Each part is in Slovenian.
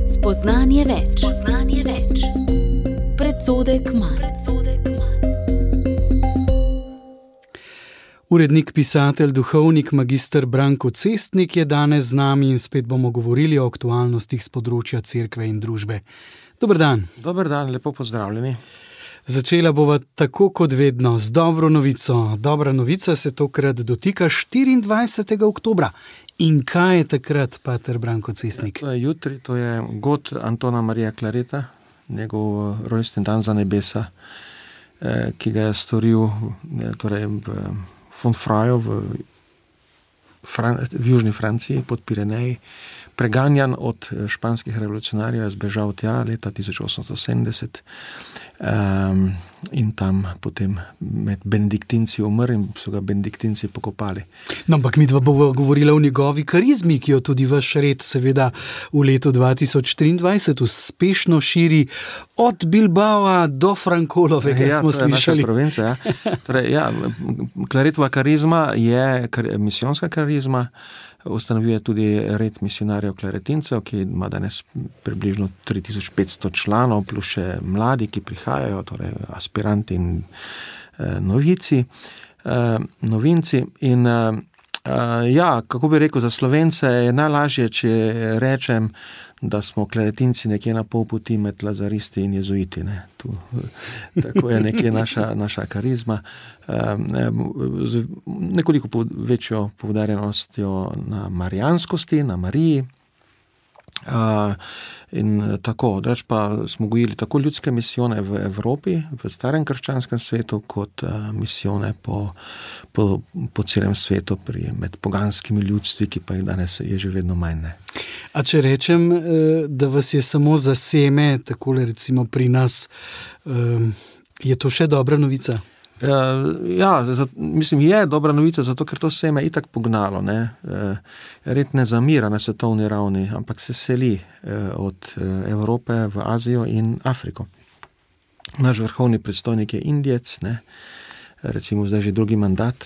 Spoznanje več. Predsodek manj. Urednik, pisatelj, duhovnik, magister Branko Cestnik je danes z nami in spet bomo govorili o aktualnostih z področja cerkve in družbe. Dober dan. Dober dan, lepo pozdravljeni. Začela bova tako kot vedno z dobro novico. Dobra novica se tokrat dotika 24. oktobra. In kaj je takrat, pater Branko Cestnik? To je jutri, to je god Antona Marija Clareta, njegov rojstni dan za nebesa, ki ga je storil v Fonfraju v južni Franciji pod Pireneji. Preganjan od španskih revolucionarjev, je zbežal tja leta 1870 in tam potem med benediktinci umrl in so ga benediktinci pokopali. No, ampak midva bova govorila o njegovi karizmi, ki jo tudi vaš red seveda v letu 2023 uspešno širi od Bilbaoa do Frankolovega, smo slišali. To je naša provincija, ja. Claretova karizma je misijonska karizma. Ustanovil je tudi red misionarjev klaretincev, ki ima danes približno 3500 članov, plus še mladi, ki prihajajo, torej aspiranti in novinci. In kako bi rekel, za Slovence je najlažje, če rečem, da smo klaretinci nekje na pol poti med lazaristi in jezuiti. Tako je nekje naša karizma. Z nekoliko večjo poudarjenostjo na marijanskosti, na Mariji. In tako, drugače pa smo gojili tako ljudske misijone v Evropi, v starem krščanskem svetu, kot misijone po celem svetu med poganskimi ljudstvi, ki pa jih danes je že vedno manj. Ne. A če rečem, da vas je samo za seme, takole recimo pri nas, je to še dobra novica? Mislim, je dobra novica, zato ker to seme je itak pognalo. Red ne zamira na svetovni ravni, ampak se seli od Evrope v Azijo in Afriko. Naš vrhovni predstojnik je Indijec, recimo zdaj že drugi mandat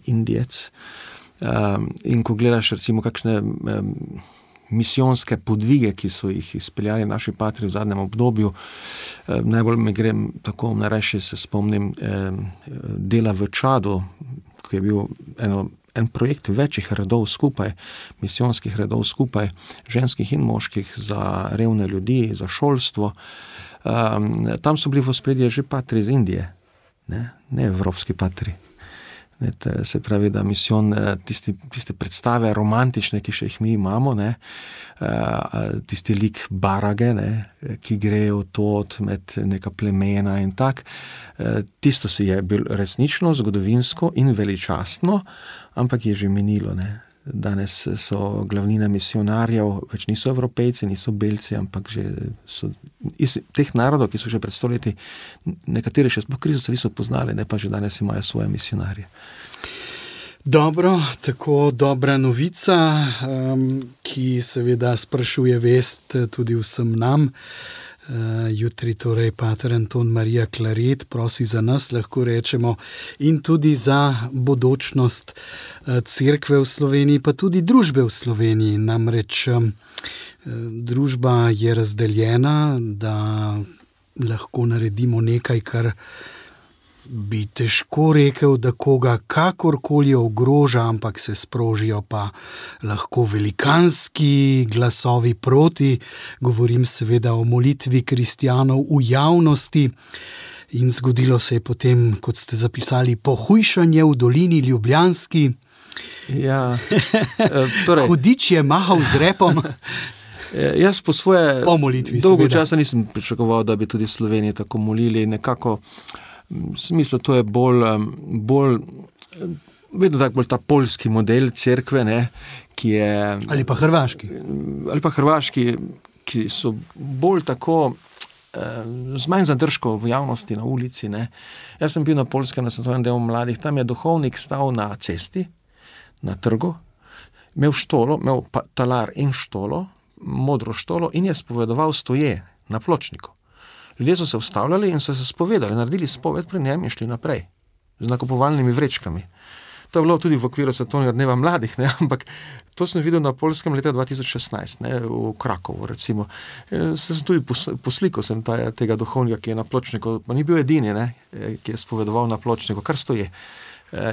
Indijec. In ko gledaš recimo kakšne misijonske podvige, ki so jih izpeljali naši patri v zadnjem obdobju. Najbolj me gre tako, najrajši se spomnim dela v Čadu, ki je bil en projekt večjih redov skupaj, misijonskih redov skupaj, ženskih in moških, za revne ljudi, za šolstvo. Tam so bili v ospredju že patri iz Indije, ne evropski patri. Se pravi, da misijon, tiste predstave romantične, ki še jih mi imamo, tisti lik barage, ki grejo tot med neka plemena in tak, tisto si je bil resnično, zgodovinsko in veličastno, ampak je že minilo. Danes so glavnina misionarjev, več niso Evropejci, niso Belci, ampak že so iz teh narodov, ki so že pred stoletji, nekateri še sploh Kristusa niso poznali, ne pa že danes imajo svoje misionarje. Dobro, tako dobra novica, ki seveda sprašuje vest tudi vsem nam. Jutri torej pater Anton Marija Claret prosi za nas, lahko rečemo, in tudi za bodočnost cerkve v Sloveniji, pa tudi družbe v Sloveniji. Namreč družba je razdeljena, da lahko naredimo nekaj, kar bi težko rekel, da koga kakorkoli ogroža, ampak se sprožijo pa lahko velikanski glasovi proti. Govorim seveda o molitvi kristjanov v javnosti. In zgodilo se je potem, kot ste zapisali, pohujšanje v dolini Ljubljanski. Ja, Hudič je mahal z repom. Jaz po svoje molitvi, dolgo časa nisem pričakoval, da bi tudi v Sloveniji tako molili. Nekako v smislu, to je bolj vedno tak bolj ta poljski model cerkve, ki je... Ali pa hrvaški. Ki so bolj tako z manj zadržkov v javnosti, na ulici. Jaz sem bil na Poljskem, na svetovnem delu mladih, tam je duhovnik stal na cesti, na trgu, imel štolo, imel talar in štolo, modro štolo in je spovedoval stoje na pločniku. Ljudje so se ustavljali in so se spovedali, naredili spoved pri njem in šli naprej z nakupovalnimi vrečkami. To je bilo tudi v okviru Svetovnega dneva mladih, ne? Ampak to sem videl na Poljskem leta 2016, ne? V Krakovu, recimo. Sem tudi poslikal sem tega duhovnika, ki je na pločniku, pa ni bil edini, ne? Ki je spovedoval na pločniku, kar stoje.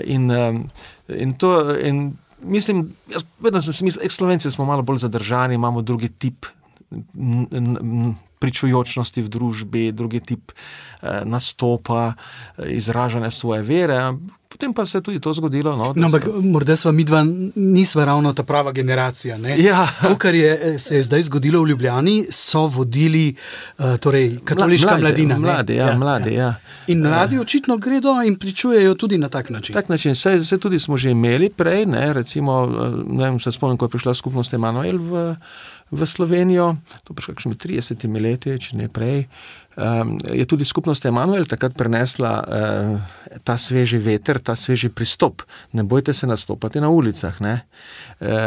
In mislim, jaz vedno sem si mislil, Slovenci smo malo bolj zadržani, imamo drugi tip pričujočnosti v družbi, drugi tip nastopa, izražanja svoje vere. Potem pa se je tudi to zgodilo. Ampak morda sva midva nisva ravno ta prava generacija. Ne? Ja. To, kar se je zdaj zgodilo v Ljubljani, so vodili torej katoliška mladina. Mladi. In mladi očitno gredo in pričujejo tudi na tak način. Tak način. Se tudi smo že imeli prej, ne? Recimo, ne vem, se spomnim, ko je prišla skupnost Emanuel v Slovenijo, to pa kakšnimi 30 leti, če ne prej, je tudi skupnost Emanuel takrat prenesla ta sveži veter, ta sveži pristop. Ne bojte se nastopati na ulicah, ne?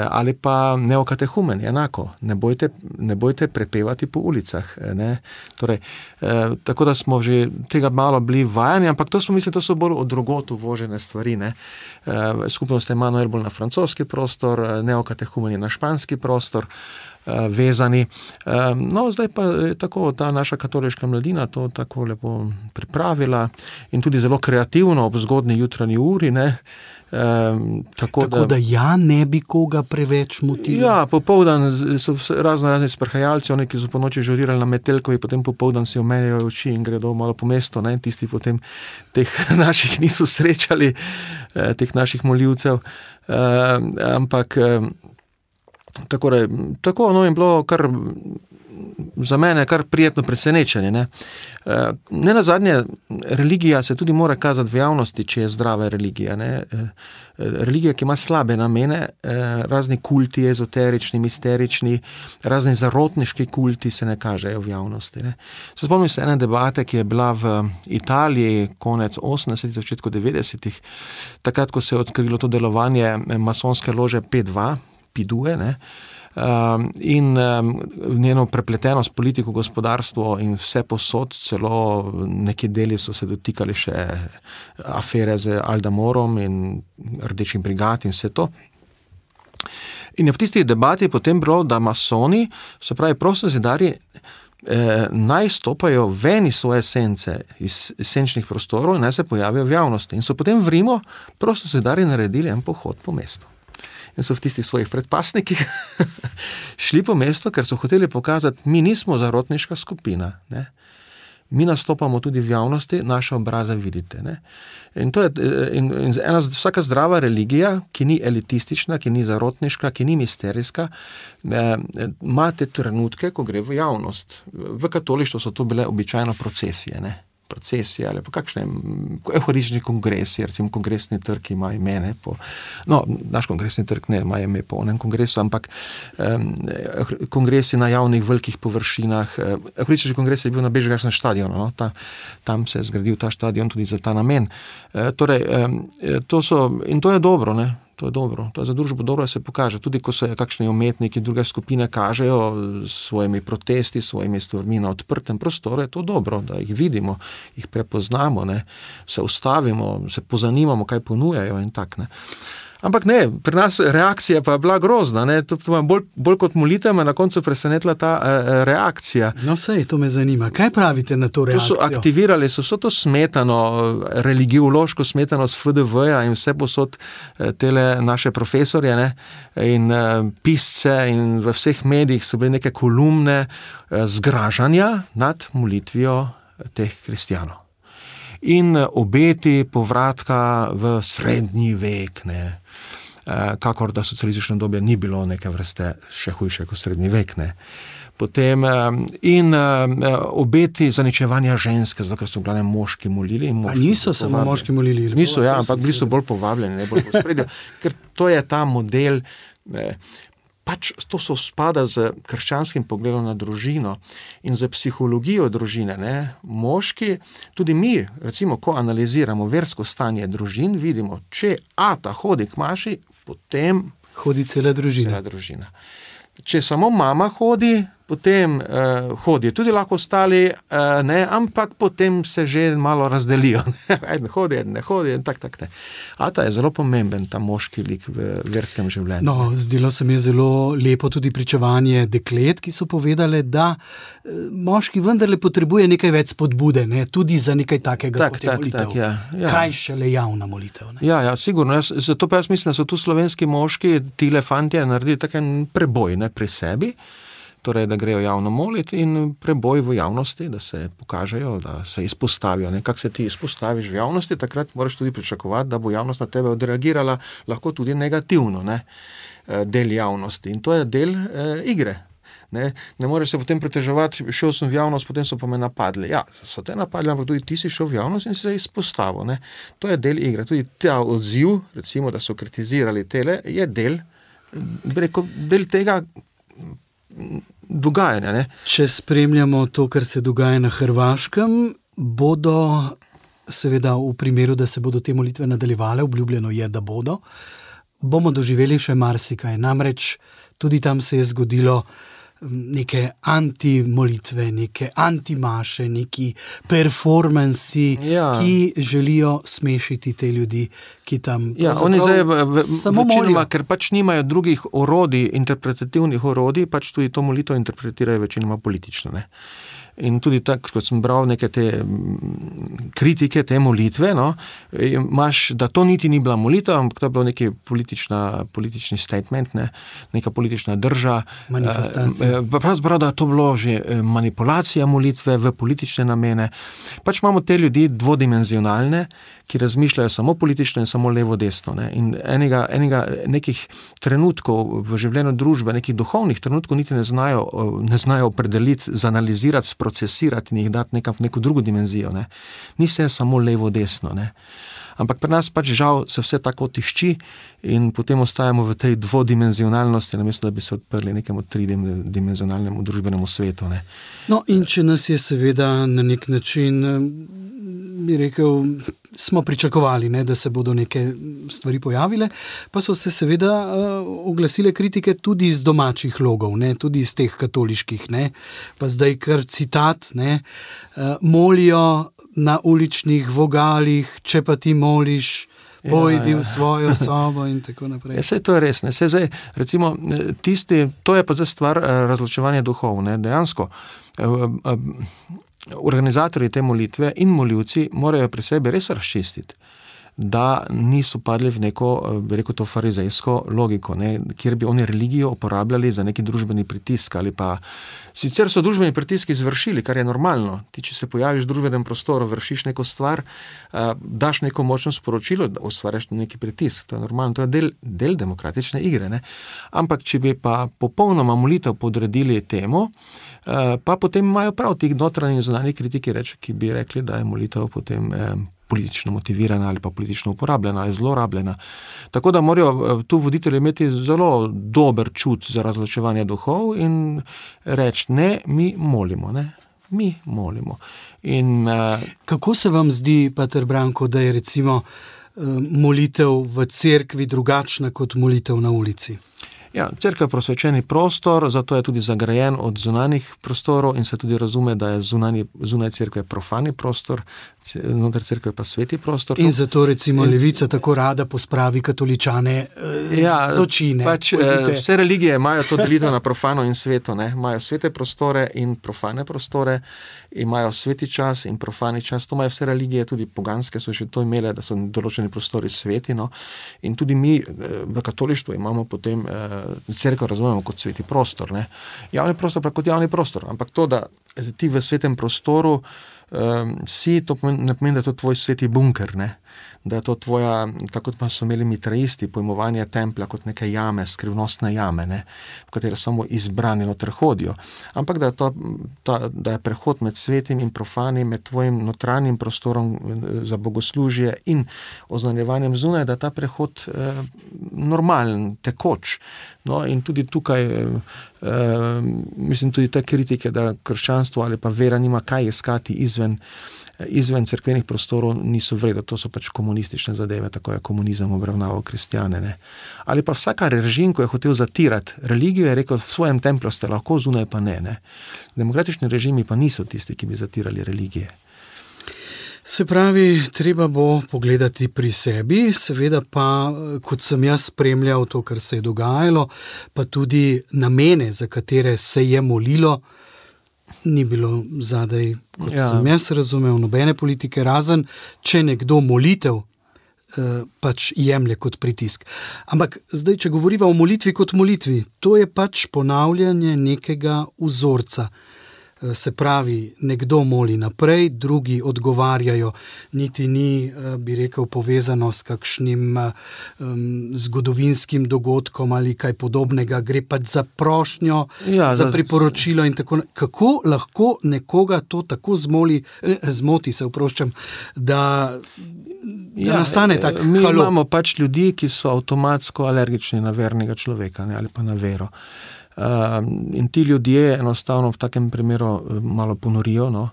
Ali pa neokatehumen, enako. Ne bojte prepevati po ulicah, ne? Torej, tako da smo že tega malo bili vajani, ampak to so bolj od drugot uvožene stvari, ne? Skupnost Emanuel bolj na francoski prostor, neokatehumen je na španski prostor, vezani. No, zdaj pa je tako ta naša katoliška mladina to tako lepo pripravila in tudi zelo kreativno ob zgodni jutranji uri, ne. Tako da ja ne bi koga preveč motili. Ja, popoldan so razni sprhajalci, oni, ki so po noči žurirali na Metelkovi, potem popoldan si omenjajo oči in gredo malo po mestu, ne, tisti potem teh naših niso srečali, teh naših molivcev, ampak tako je bilo kar za mene kar prijetno presenečenje, ne. Nenazadnje, religija se tudi mora kazati v javnosti, če je zdrava religija, ne. Religija, ki ima slabe namene, razni kulti, ezoterični, misterični, razni zarotniški kulti se ne kažejo v javnosti, ne. Se spomnim se ene debate, ki je bila v Italiji konec 80-ih, začetku 90-ih, takrat, ko se je odkrilo to delovanje masonske lože P2, ne, in njeno prepletenost politiko, gospodarstvo in vse posod, celo neki deli so se dotikali še afere z Aldamorom in Rdečim brigad in vse to. In je v tisti debati potem bilo, da masoni, se pravi prostozidarji, naj stopajo ven iz svoje esence, iz esenčnih prostorov in naj se pojavijo v javnosti. In so potem v Rimu prostozidarji naredili en pohod po mestu. In so v tistih svojih predpasnikih šli po mestu, ker so hoteli pokazati, mi nismo zarotniška skupina, ne. Mi nastopamo tudi v javnosti, naše obraze vidite, ne. In to je, vsaka zdrava religija, ki ni elitistična, ki ni zarotniška, ki ni misterijska, ima te trenutke, ko gre v javnost. V katolištvu so to bile običajno procesije, ne. Procesije ali pa kakšne evharistični kongresi, recimo kongresni trg ima ime, ne, naš kongresni trg ne ima ime po onem kongresu, ampak kongresi na javnih velikih površinah. Evharistični kongres je bil na Bežigrajskem stadionu, no, tam se je zgradil ta stadion tudi za ta namen. Torej, to je dobro, ne. To je dobro, to je za družbo dobro, da se pokaže. Tudi ko se kakšni umetniki druge skupine kažejo s svojimi protesti, svojimi stvarmi na odprtem prostoru, je to dobro, da jih vidimo, jih prepoznamo, ne, se ustavimo, se pozanimamo, kaj ponujajo in tak, ne. Ampak ne, pri nas reakcija pa je bila grozna, ne, to bolj kot molitev me na koncu presenetila ta reakcija. No sej, to me zanima. Kaj pravite na to reakcijo? To so aktivirali, so to smetano, religiološko smetano z FDV-ja in vse posod tele naše profesorje, ne, in pisce in v vseh medijih so bile neke kolumne zgražanja nad molitvijo teh kristjanov. In obeti povratka v srednji vek, ne, kakor da socialistično dobje ni bilo neke vrste še hujše kot srednji vek, ne. Potem in obeti zaničevanja ženske, zato ker so v glavnem moški molili. A niso samo moški molili? Niso, ja, ampak bili so bolj povabljeni, ne, bolj pospredje, ker to je ta model, pač to so spada z krščanskim pogledom na družino in z psihologijo družine, ne. Moški, tudi mi, recimo, ko analiziramo versko stanje družin, vidimo, če ata hodi k maši, potem hodi cela družina. Če samo mama hodi, potem hodijo tudi lahko ostali, ne, ampak potem se že malo razdelijo. Eden hodi, eden ne hodi in tak ne. Ata je zelo pomemben, ta moški lik v verskem življenju. No, zdelo se mi je zelo lepo tudi pričevanje deklet, ki so povedale, da moški vendarle potrebuje nekaj več spodbude, ne, tudi za nekaj takega kot je molitev. Ja. Kaj šele javna molitev? Ne? Ja, sigurno. Zato pa jaz mislim, da so tu slovenski moški, tile fantje, naredili tak en preboj, ne, pri sebi, torej, da grejo javno moliti in preboj v javnosti, da se pokažejo, da se izpostavijo. Kako se ti izpostaviš v javnosti, takrat moraš tudi pričakovati, da bo javnost na tebe odreagirala lahko tudi negativno, ne, del javnosti. In to je del igre. Ne moreš se potem preteževati, šel sem v javnost, potem so pa me napadli. Ja, so te napadli, ampak tudi ti si šel v javnost in se izpostavil. Ne. To je del igre. Tudi ta odziv, recimo, da so kritizirali tele, je del tega dogajanja. Ne. Če spremljamo to, kar se dogaja na Hrvaškem, bodo seveda v primeru, da se bodo te molitve nadaljevale, obljubljeno je, da bomo doživeli še marsikaj. Namreč tudi tam se je zgodilo neke anti-molitve, neke anti-maše, neki performansi, ki želijo smešiti te ljudi, ki tam oni zdaj večinoma, ker pač nimajo drugih orodij, interpretativnih orodij, pač tudi to molitev interpretirajo večinoma politično, ne. In tudi tako, kot sem bral neke te kritike te molitve, no, imaš, da to niti ni bila molitev, ampak to je bilo neki politični statement, ne, neka politična drža. Manifestacija. Pravzaprav, da to bilo že manipulacija molitve v politične namene. Pač imamo te ljudi dvodimenzionalne, ki razmišljajo samo politično in samo levo-desno. Ne. In enega nekih trenutkov v življenju družbe, nekih duhovnih trenutkov niti ne znajo opredeliti, zanalizirati, procesirati in jih dati neko drugo dimenzijo. Ne. Ni vse samo levo-desno. Ne. Ampak pri nas pač žal se vse tako tišči in potem ostajamo v tej dvodimenzionalnosti, namesto da bi se odprli nekemu tridimenzionalnemu družbenemu svetu. Ne. No, in če nas je seveda na nek način, bi rekel, smo pričakovali, ne, da se bodo neke stvari pojavile, pa so se seveda oglasile kritike tudi iz domačih logov, ne, tudi iz teh katoliških, ne, pa zdaj kar citat, ne, molijo na uličnih vogalih, če pa ti moliš, pojdi v svojo sobo in tako naprej. Saj to je res, ne, zdaj, recimo, to je pa zdaj stvar razločevanja duhov, ne, dejansko, organizatorji te molitve in molivci morajo pri sebi res razčistiti, da niso padli v neko, bi rekel to, farizejsko logiko, ne, kjer bi oni religijo uporabljali za neki družbeni pritisk ali pa, sicer so družbeni pritiski izvršili, kar je normalno. Ti, če se pojaviš v družbenem prostoru, vršiš neko stvar, daš neko močno sporočilo, da ustvarjaš neki pritisk, to je normalno, to je del demokratične igre, ne. Ampak, če bi pa popolnoma molitev podredili temu, pa potem imajo prav tih notranji in zunanji kritiki, ki bi rekli, da je molitev potem politično motivirana ali pa politično uporabljena ali zlorabljena. Tako da morajo tu voditelji imeti zelo dober čut za razločevanje duhov in reči, ne, mi molimo, ne. Mi molimo. In, kako se vam zdi, pater Branko, da je recimo molitev v cerkvi drugačna kot molitev na ulici? Ja, cerkev je prosvečeni prostor, zato je tudi zagrajen od zunanjih prostorov in se tudi razume, da je zunaj cerkve profani prostor, znotraj cerkve pa sveti prostor. In zato recimo levica tako rada pospravi katoličane z očine. Pač vse religije imajo to delitev na profano in sveto, ne? Imajo svete prostore in profane prostore, imajo sveti čas in profani čas, to imajo vse religije, tudi poganske so še to imele, da so določeni prostori sveti, no? In tudi mi v katolištvu imamo potem cerkev razumemo kot sveti prostor, ne? Javni prostor pa kot javni prostor, ampak to, da ti v svetem prostoru si, to ne pomeni, da je to tvoj sveti bunker, ne? Da je to tvoja, tako kot pa so imeli mitraisti, pojmovanje templja kot neke jame, skrivnostne jame, ne? V katere samo izbrani noter hodijo. Ampak da je prehod med svetim in profanim, med tvojim notranjim prostorom za bogoslužje in oznanjevanjem zunaj, da je ta prehod normalen, tekoč. No, in tudi tukaj, mislim, tudi te kritike, da krščanstvo ali pa vera nima kaj iskati izven izven cerkvenih prostorov niso vredo, to so pač komunistične zadeve, tako je komunizem obravnaval kristjane. Ne. Ali pa vsaka režim, ko je hotel zatirati religijo, je rekel, v svojem templju ste lahko, zunaj pa ne. Demokratični režimi pa niso tisti, ki bi zatirali religije. Se pravi, treba bo pogledati pri sebi, seveda pa, kot sem jaz spremljal to, kar se je dogajalo, pa tudi namene, za katere se je molilo, ni bilo zadaj, kot sem jaz razumel, nobene politike, razen, če nekdo molitev pač jemlje kot pritisk. Ampak zdaj, če govoriva o molitvi kot molitvi, to je pač ponavljanje nekega vzorca. Se pravi, nekdo moli naprej, drugi odgovarjajo, niti ni, bi rekel, povezano s kakšnim zgodovinskim dogodkom ali kaj podobnega, gre pač za prošnjo, za priporočilo in tako. Kako lahko nekoga to tako zmoti, se oproščam, da nastane tak halo? Mi imamo pač ljudi, ki so avtomatsko alergični na vernega človeka, ali pa na vero. In ti ljudje enostavno v takem primeru malo ponorijo, no.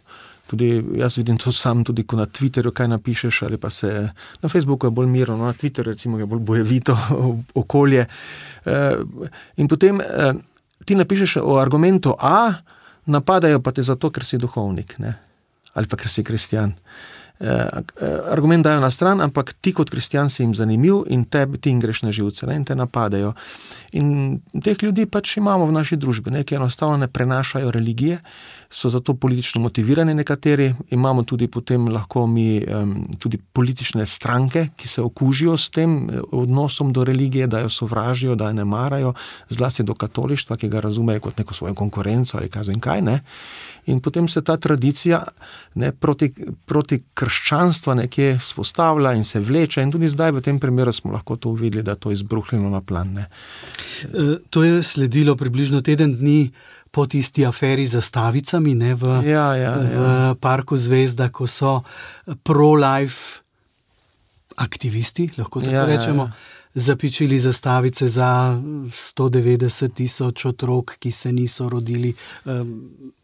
Tudi jaz vidim to sam, tudi ko na Twitterju kaj napišeš, ali pa se na Facebooku je bolj mirno, no, na Twitterju recimo je bolj bojevito okolje. In potem ti napišeš o argumentu A, napadajo pa te zato, ker si duhovnik, ne, ali pa ker si kristjan. Argument dajo na stran, ampak ti kot kristjan si jim zanimiv in ti jim greš na živce, ne, in te napadajo. In teh ljudi pač imamo v naši družbi, ne, ki enostavno ne prenašajo religije, so zato politično motivirani nekateri, imamo tudi potem lahko mi tudi politične stranke, ki se okužijo s tem odnosom do religije, da jo sovražijo, da jo ne marajo, zlasti do katolištva, ki ga razumejo kot neko svojo konkurenco ali kaj, ne. In potem se ta tradicija, ne, proti krščanstva nekje spostavlja in se vleče in tudi zdaj v tem primeru smo lahko to uvideli, da to je izbruhnilo na plan, ne. To je sledilo približno teden dni po tisti aferi z zastavicami, ne, v Parku Zvezda, ko so pro-life aktivisti, lahko tako rečemo, zapičili zastavice za 190,000 otrok, ki se niso rodili,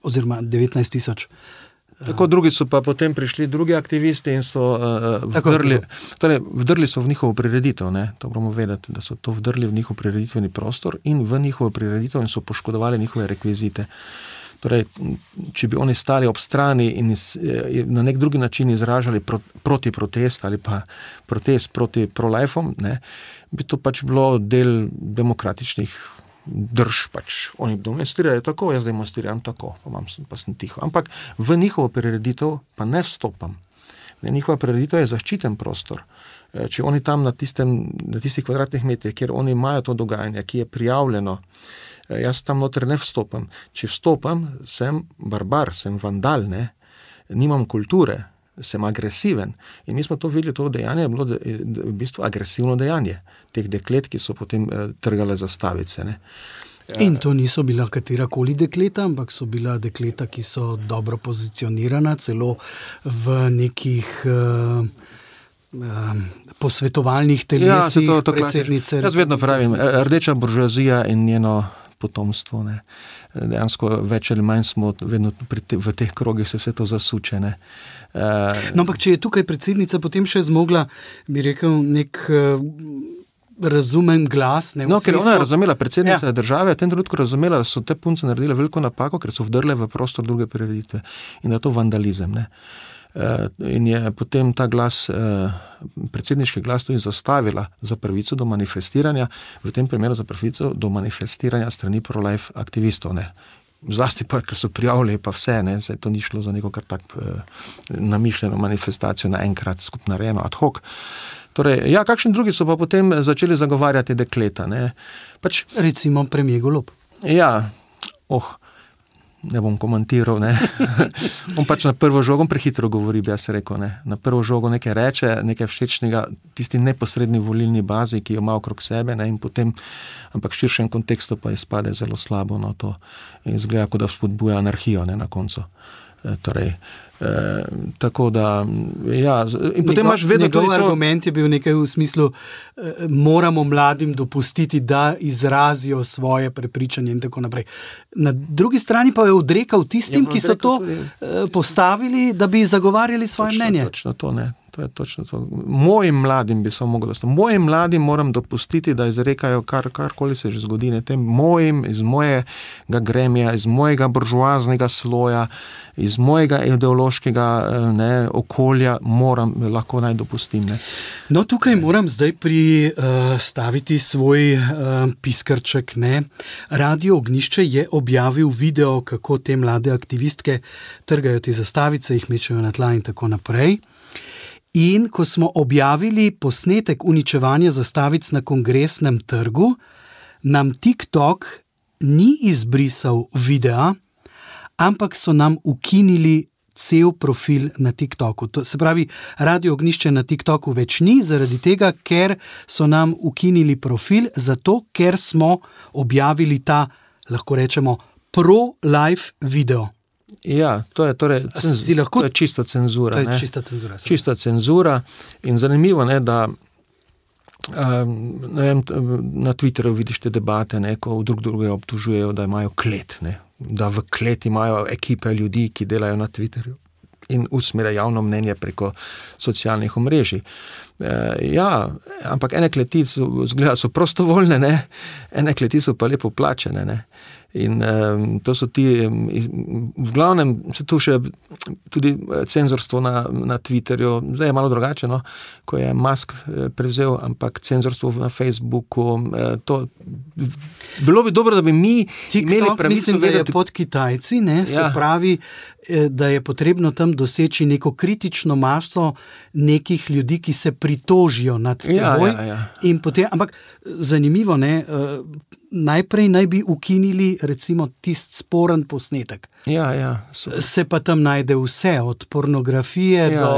oziroma 19,000. Tako drugi so pa potem prišli drugi aktivisti in so vdrli so v njihovo prireditev, ne, to moramo vedeti, da so to vdrli v njihov prireditveni prostor in v njihovo prireditev in so poškodovali njihove rekvizite. Torej, če bi oni stali ob strani in na nek drugi način izražali proti protest ali pa protest proti pro-lifeom, ne, bi to pač bilo del demokratičnih drž, pač. Oni demonstrirajo tako, jaz demonstriram tako, pa sem tiho. Ampak v njihovo prireditev pa ne vstopam. Njihova prireditev je zaščiten prostor. Če oni tam na tistih kvadratnih metrih, kjer oni imajo to dogajanje, ki je prijavljeno, jaz tam noter ne vstopam. Če vstopam, sem barbar, sem vandal, ne? Nimam kulture, sem agresiven. In mi smo to videli, to dejanje je bilo v bistvu agresivno dejanje teh deklet, ki so potem trgale zastavice, ne. In to niso bila katerakoli dekleta, ampak so bila dekleta, ki so dobro pozicionirana, celo v nekih posvetovalnih telesih predsednice. Jaz vedno pravim, rdeča buržoazija in njeno potomstvo, ne. Dejansko več ali manj smo vedno v teh krogih se vse to zasuče, ne. No, ampak če je tukaj predsednica potem še zmogla, bi rekel, nek razumen glas, ne, no, ker ona je razumela, predsednica države je v tem trenutku razumela, da so te punce naredile veliko napako, ker so vdrle v prostor druge prireditve in da je to vandalizem, ne. In je potem ta glas, predsedniški glas tudi zastavila za pravico do manifestiranja, v tem primeru za pravico do manifestiranja strani pro-life aktivistov, ne. Zlasti pa, ker so prijavili pa vse, ne, zdaj to ni šlo za neko kar tak namišljeno manifestacijo naenkrat skupno narejeno ad hoc. Torej, ja, kakšni drugi so pa potem začeli zagovarjati dekleta, ne. Pač, recimo premier Golob. Ja, ne bom komentiral, ne. On pač na prvo žogo prehitro govori, bi jaz rekel, ne. Na prvo žogo nekaj reče, nekaj všečnega, tisti neposredni volilni bazi, ki jo ima okrog sebe, ne, in potem, ampak v širšem kontekstu pa izpade zelo slabo, no, to izgleda, kot da spodbuja anarhijo, ne, na koncu. Tako da, ja, in potem imaš vedno tudi to... argument je bil nekaj v smislu, moramo mladim dopustiti, da izrazijo svoje prepričanje in tako naprej. Na drugi strani pa je odrekal tistim, ki so to postavili, da bi zagovarjali svoje mnenje. Točno to, ne. To je točno to. Mojim mladim bi samo moglo stati. Mojim mladim moram dopustiti, da izrekajo karkoli se že zgodi. Ne. Tem mojim, iz mojega gremija, iz mojega buržoaznega sloja, iz mojega ideološkega okolja lahko naj dopustim. Ne. No, tukaj moram zdaj staviti svoj piskrček. Ne. Radio Ognjišče je objavil video, kako te mlade aktivistke trgajo te zastavice, jih mečejo na tla in tako naprej. In ko smo objavili posnetek uničevanja zastavic na Kongresnem trgu, nam TikTok ni izbrisal videa, ampak so nam ukinili cel profil na TikToku. To se pravi, Radio Ognjišče na TikToku več ni, zaradi tega, ker so nam ukinili profil, zato ker smo objavili ta, lahko rečemo, pro-life video. Ja, to je čista cenzura. To je čista cenzura. Čista cenzura in zanimivo, da na Twitterju vidiš te debate, ko drugega obtožujejo, da imajo klet, da v kleti imajo ekipe ljudi, ki delajo na Twitterju in usmerjajo javno mnenje preko socialnih omrežij. Ja, ampak ene kleti so prostovoljne, ene kleti so pa lepo plačene, in to so ti, v glavnem se tu še tudi cenzorstvo na Twitterju, zdaj je malo drugače, ko je Musk prevzel, ampak cenzorstvo na Facebooku, bilo bi dobro, da bi mi imeli pravico mislim, da je pod Kitajci, se pravi, da je potrebno tam doseči neko kritično maso nekih ljudi, ki se pritožijo nad teboj. In potem, ampak zanimivo, najprej naj bi ukinili recimo tist sporen posnetek. Se pa tam najde vse, od pornografije do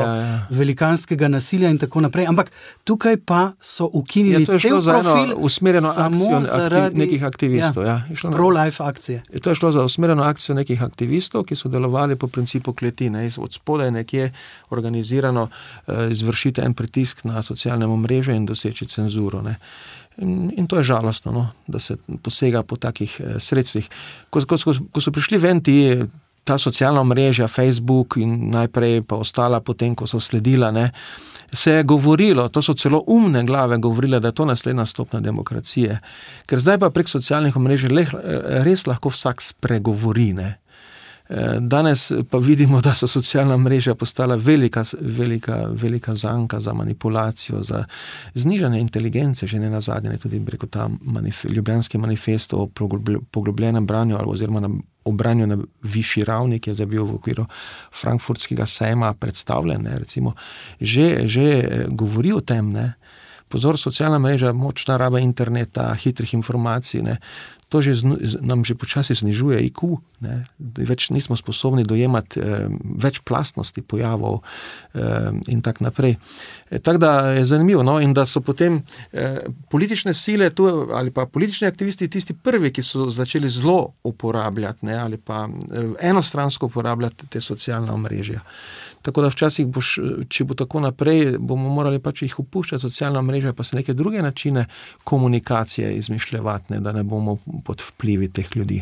velikanskega nasilja in tako naprej. Ampak tukaj pa so ukinili cel profil usmerjeno samo zaradi nekih aktivistov. Pro-life akcije. To je šlo za usmerjeno akcijo nekih aktivistov, ki so delovali po principu kleti. Od spodaj nekje organizirano izvršiti en pritisk na socialnem omrežju in doseči cenzuro. In to je žalostno, da se posega po takih sredstvih. Ko so prišli ven ta socialna omrežja, Facebook in najprej pa ostala potem, ko so sledila, se je govorilo, to so celo umne glave govorile, da je to naslednja stopnja demokracije. Ker zdaj pa prek socialnih omrežij res lahko vsak spregovori, Danes pa vidimo, da so socialna mreža postala velika zanka za manipulacijo, za znižanje inteligence, že ne nazadnje, tudi preko ta Ljubljanski manifest o poglobljenem branju oziroma o branju na višji ravni, ki je zdaj bil v okviru frankfurtskega sejma predstavljen, recimo, že govori o tem, Pozor, socialna mreža, močna raba interneta, hitrih informacij, to nam že počasi znižuje IQ, več nismo sposobni dojemati več plastnosti pojavov in tak naprej. Tako da je zanimivo, in da so potem politične sile tu, ali pa politični aktivisti tisti prvi, ki so začeli zelo uporabljati, ali pa enostransko uporabljati te socialna omrežja. Tako da včasih če bo tako naprej, bomo morali pač jih opuščati socialna mreža, pa se neke druge načine komunikacije izmišljevati, da ne bomo pod vplivi teh ljudi.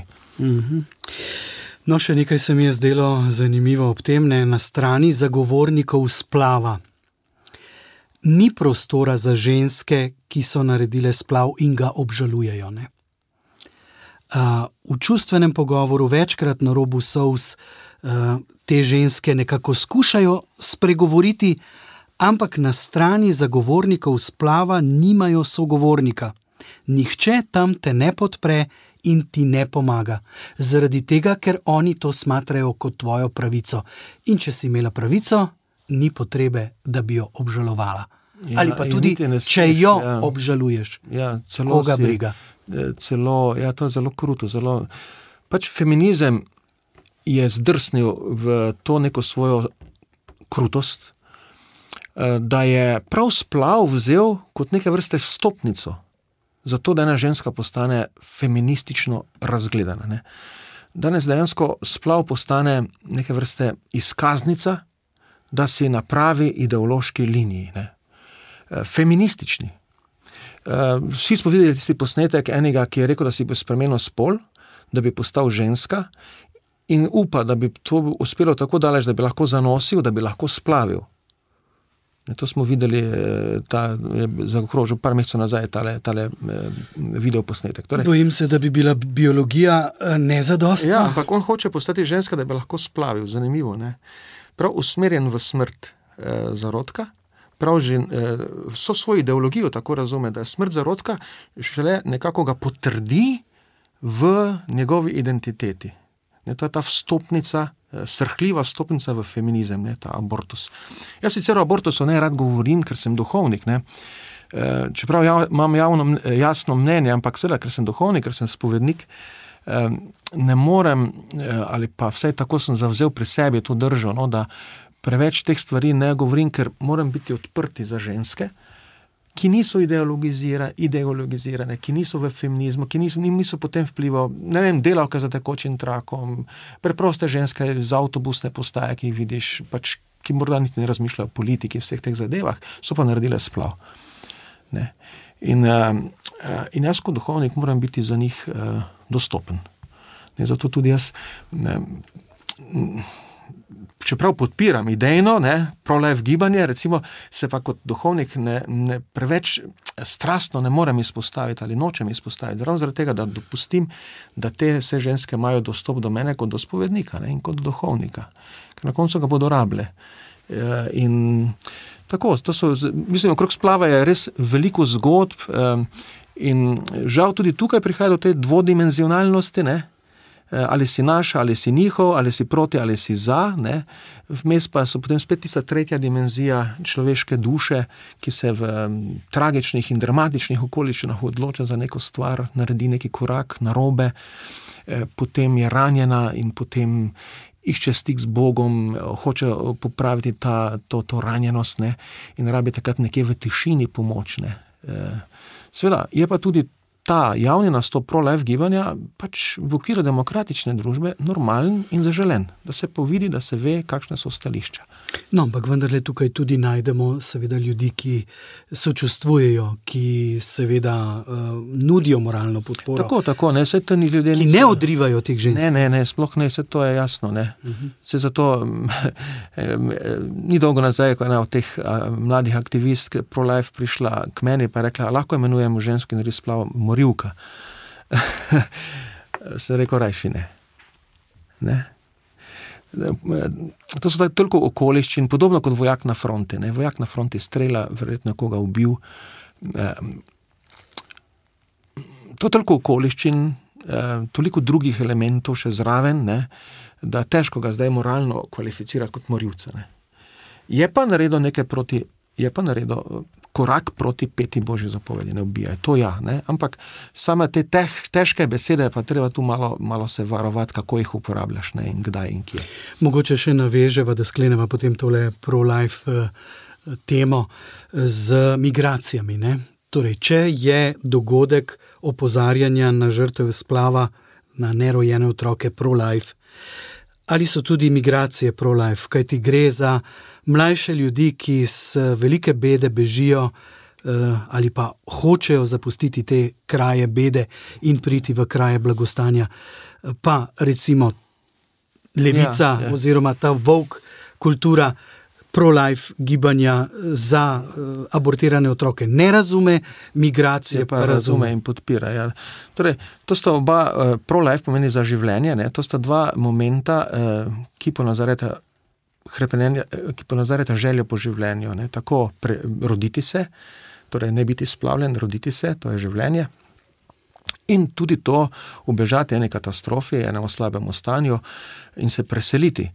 No, še nekaj se mi je zdelo zanimivo ob tem, na strani zagovornikov splava. Ni prostora za ženske, ki so naredile splav in ga obžalujejo, V čustvenem pogovoru večkrat na robu solz te ženske nekako skušajo spregovoriti, ampak na strani zagovornikov splava nimajo sogovornika. Nihče tam te ne podpre in ti ne pomaga. Zaradi tega, ker oni to smatrajo kot tvojo pravico. In če si imela pravico, ni potrebe, da bi jo obžalovala. Ali pa tudi, če jo obžaluješ, koga briga. To je zelo kruto. Pač feminizem je zdrsnil v to neko svojo krutost, da je prav splav vzel kot neke vrste vstopnico, zato da ena ženska postane feministično razgledana. danes dejansko splav postane neke vrste izkaznica, da si na pravi ideološki liniji, ne. Feministični. Vsi smo videli tisti posnetek enega, ki je rekel, da si bo spremenil spol, da bi postal ženska in upa, da bi to uspelo tako daleč, da bi lahko zanosil, da bi lahko splavil. To smo videli, je zaokrožil par mesecev nazaj tale video posnetek. Torej, bojim se, da bi bila biologija nezadostna. Ja, ampak on hoče postati ženska, da bi lahko splavil. Zanimivo, ne? Prav usmerjen v smrt zarodka, prav že vso svojo ideologijo tako razume, da je smrt zarodka šele nekako ga potrdi v njegovi identiteti. To je ta vstopnica, srhljiva vstopnica v feminizem, ne, ta abortus. Jaz sicer o abortusu ne rad govorim, ker sem duhovnik, ne. Čeprav imam jasno mnenje, ampak seveda, ker sem duhovnik, ker sem spovednik, ne morem, ali pa vsaj tako sem zavzel pri sebi to držo, no, da preveč teh stvari ne govorim, ker moram biti odprti za ženske, ki niso ideologizirane, ki niso v feminizmu, ki niso potem vplival, ne vem, delavke za tekočim trakom, preproste ženske z avtobusne postaje, ki jih vidiš, pač, ki morda niti ne razmišljajo o politiki, vseh teh zadevah, so pa naredile splav. Ne. In jaz kot duhovnik moram biti za njih dostopen. Ne, zato tudi jaz, čeprav podpiram idejno, pro-life gibanje, recimo, se pa kot duhovnik ne preveč strastno ne morem izpostaviti ali nočem izpostaviti, ravno zaradi tega, da dopustim, da te vse ženske imajo dostop do mene kot do spovednika, in kot do duhovnika, ker na koncu ga bodo rabile. In tako, mislim, okrog splava je res veliko zgodb in žal tudi tukaj prihaja do te dvodimenzionalnosti, ne? Ali si naš, ali si njihov, ali si proti, ali si za, ne. Vmes pa so potem spet tista tretja dimenzija človeške duše, ki se v tragičnih in dramatičnih okoliščinah odloča za neko stvar, naredi neki korak narobe, potem je ranjena in potem išče stik z Bogom, hoče popraviti to ranjenost, ne, in rabi takrat nekje v tišini pomoč, ne. Seveda, je pa tudi ta javni nastop pro-life gibanja pač v okviru demokratične družbe normalen in zaželen, da se povidi, da se ve, kakšne so stališča. No, ampak vendarle tukaj tudi najdemo seveda ljudi, ki sočustvujejo, ki seveda nudijo moralno podporo. Tako, ne, vse to ni ljudje... Ki ne odrivajo teh žensk. Ne, sploh ne, vse to je jasno, ne. Se zato ni dolgo nazaj, ko ena od teh mladih aktivistk pro-life prišla k meni pa rekla, lahko imenujemo žensko in res splav morilka. Se rekel, rajši ne. Ne? To so toliko okoliščin, podobno kot vojak na fronti. Ne? Vojak na fronti strela, verjetno koga ubil. To toliko okoliščin, toliko drugih elementov še zraven, ne? Da težko ga zdaj moralno kvalificirati kot morilca. Ne? Je pa naredil korak proti 5. Božji zapovedi, ne ubijaj. To ja, ne? Ampak same te težke besede pa treba tu malo se varovati, kako jih uporabljaš, ne? In kdaj in kje. Mogoče še naveževa, da skleneva potem tole pro-life temo z migracijami, ne? Torej, če je dogodek opozarjanja na žrtve splava, na nerojene otroke pro-life, ali so tudi migracije pro-life, kajti gre za mlajše ljudi, ki z velike bede bežijo ali pa hočejo zapustiti te kraje bede in priti v kraje blagostanja. Pa recimo levica oziroma ta woke kultura pro-life gibanja za abortirane otroke ne razume, migracije pa razume in podpira. Ja. Torej, to sta oba, pro-life pomeni za življenje, ne? To sta dva momenta, ki ponazarjata željo po življenju. Ne? Tako roditi se, torej ne biti splavljen, roditi se, to je življenje. In tudi to ubežati ene katastrofi, enemu slabemu stanju in se preseliti.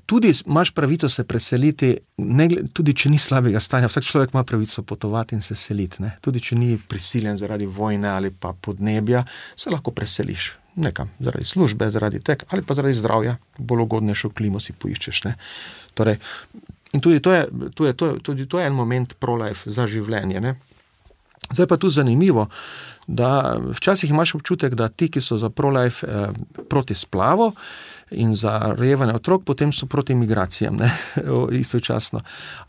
Tudi imaš pravico se preseliti, tudi če ni slabega stanja, vsak človek ima pravico potovati in se seliti. Ne? Tudi če ni prisiljen zaradi vojne ali pa podnebja, se lahko preseliš nekam, zaradi službe, zaradi ali pa zaradi zdravja, bolj ugodnejšo klimo si poiščeš. Ne? Torej, in tudi to je en moment pro-life za življenje. Ne? Zdaj pa tu zanimivo, da včasih imaš občutek, da ti, ki so za pro-life proti splavu in za rojevanje otrok, potem so proti migracijam, ne, istočasno.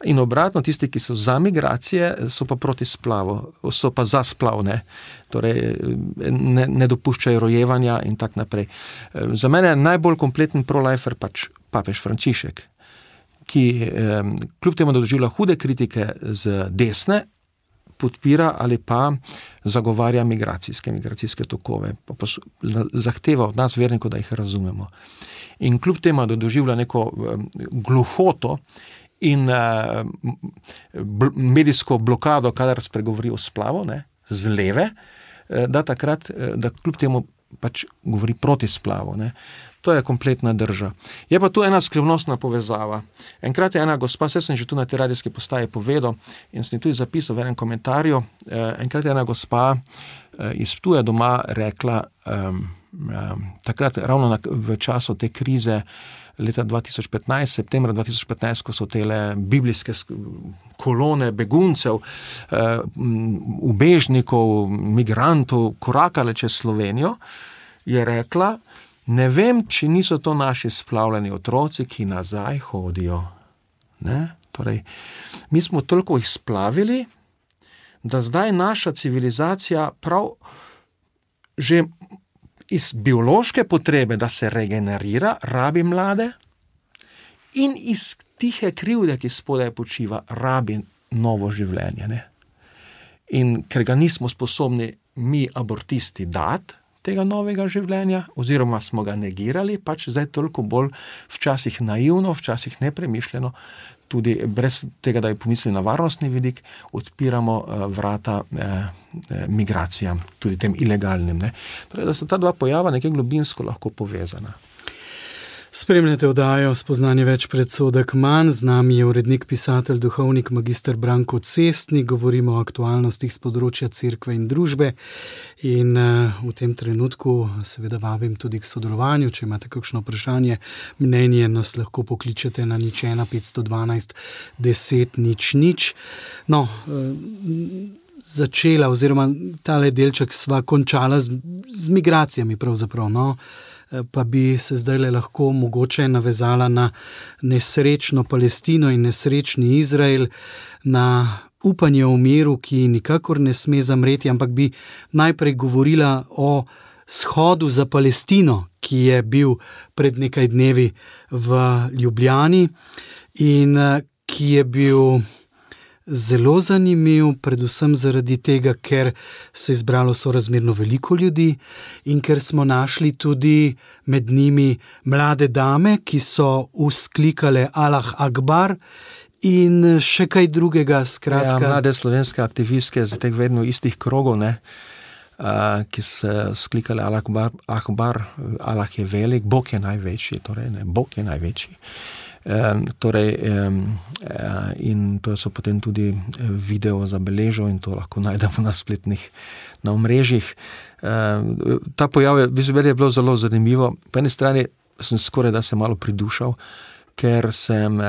In obratno, tisti, ki so za migracije, so pa proti splavu, so pa za splav, ne. Torej ne dopuščajo rojevanja in tak naprej. Za mene je najbolj kompleten pro-lifer pač papež Frančišek, ki kljub temu, da doživlja hude kritike z desne, podpira ali pa zagovarja migracijske tokove, pa zahteva od nas vernikov, da jih razumemo. In kljub temu, da doživlja neko gluhoto in medijsko blokado, kadar spregovori o splavu, ne, z leve, da takrat, da kljub temu pač govori proti splavu, ne. To je kompletna drža. Je pa tu ena skrivnostna povezava. Enkrat je ena gospa, vse sem že tu na tej radijski postaji povedal in sem tudi zapisal v enem komentarju, enkrat je ena gospa iz Ptuja doma rekla, takrat ravno v času te krize leta 2015, septembra 2015, ko so tele biblijske kolone beguncev, ubežnikov, migrantov korakale čez Slovenijo, je rekla, ne vem, če niso to naši splavljeni otroci, ki nazaj hodijo. Ne? Torej, mi smo toliko jih splavili, da zdaj naša civilizacija prav že iz biološke potrebe, da se regenerira, rabi mlade in iz tihe krivde, ki spodaj počiva, rabi novo življenje. Ne? In ker ga nismo sposobni mi abortisti dati, tega novega življenja, oziroma smo ga negirali, pač zdaj toliko bolj včasih naivno, včasih nepremišljeno, tudi brez tega, da je pomislili na varnostni vidik, odpiramo vrata migracijam, tudi tem ilegalnim. Ne? Torej, da sta ta dva pojava nekaj globinsko lahko povezana. Spremljate oddajo Spoznanje več, predsodek manj. Z nami je urednik, pisatelj, duhovnik, magister Branko Cestnik. Govorimo o aktualnostih z področja cerkve in družbe. In v tem trenutku seveda vabim tudi k sodelovanju. Če imate kakšno vprašanje, mnenje, nas lahko pokličete na 01 512 10 00. No, začela oziroma tale delček sva končala z migracijami pravzaprav, no. Pa bi se zdaj lahko mogoče navezala na nesrečno Palestino in nesrečni Izrael, na upanje o miru, ki nikakor ne sme zamreti, ampak bi najprej govorila o shodu za Palestino, ki je bil pred nekaj dnevi v Ljubljani in ki je bil zelo zanimiv, predvsem zaradi tega, ker se je zbralo sorazmerno veliko ljudi in ker smo našli tudi med njimi mlade dame, ki so vzklikale Allah Akbar in še kaj drugega, skratka. Ja, mlade slovenske aktivistke z teh vedno istih krogov, ne, ki se sklikale Allah Akbar, Allah je velik, Bog je največji, torej ne, Bog je največji. In to so potem tudi video zabeležil in to lahko najdemo na spletnih, na omrežjih. Ta pojav je bilo zelo zanimivo. Po eni strani sem skoraj da se malo pridušal, ker sem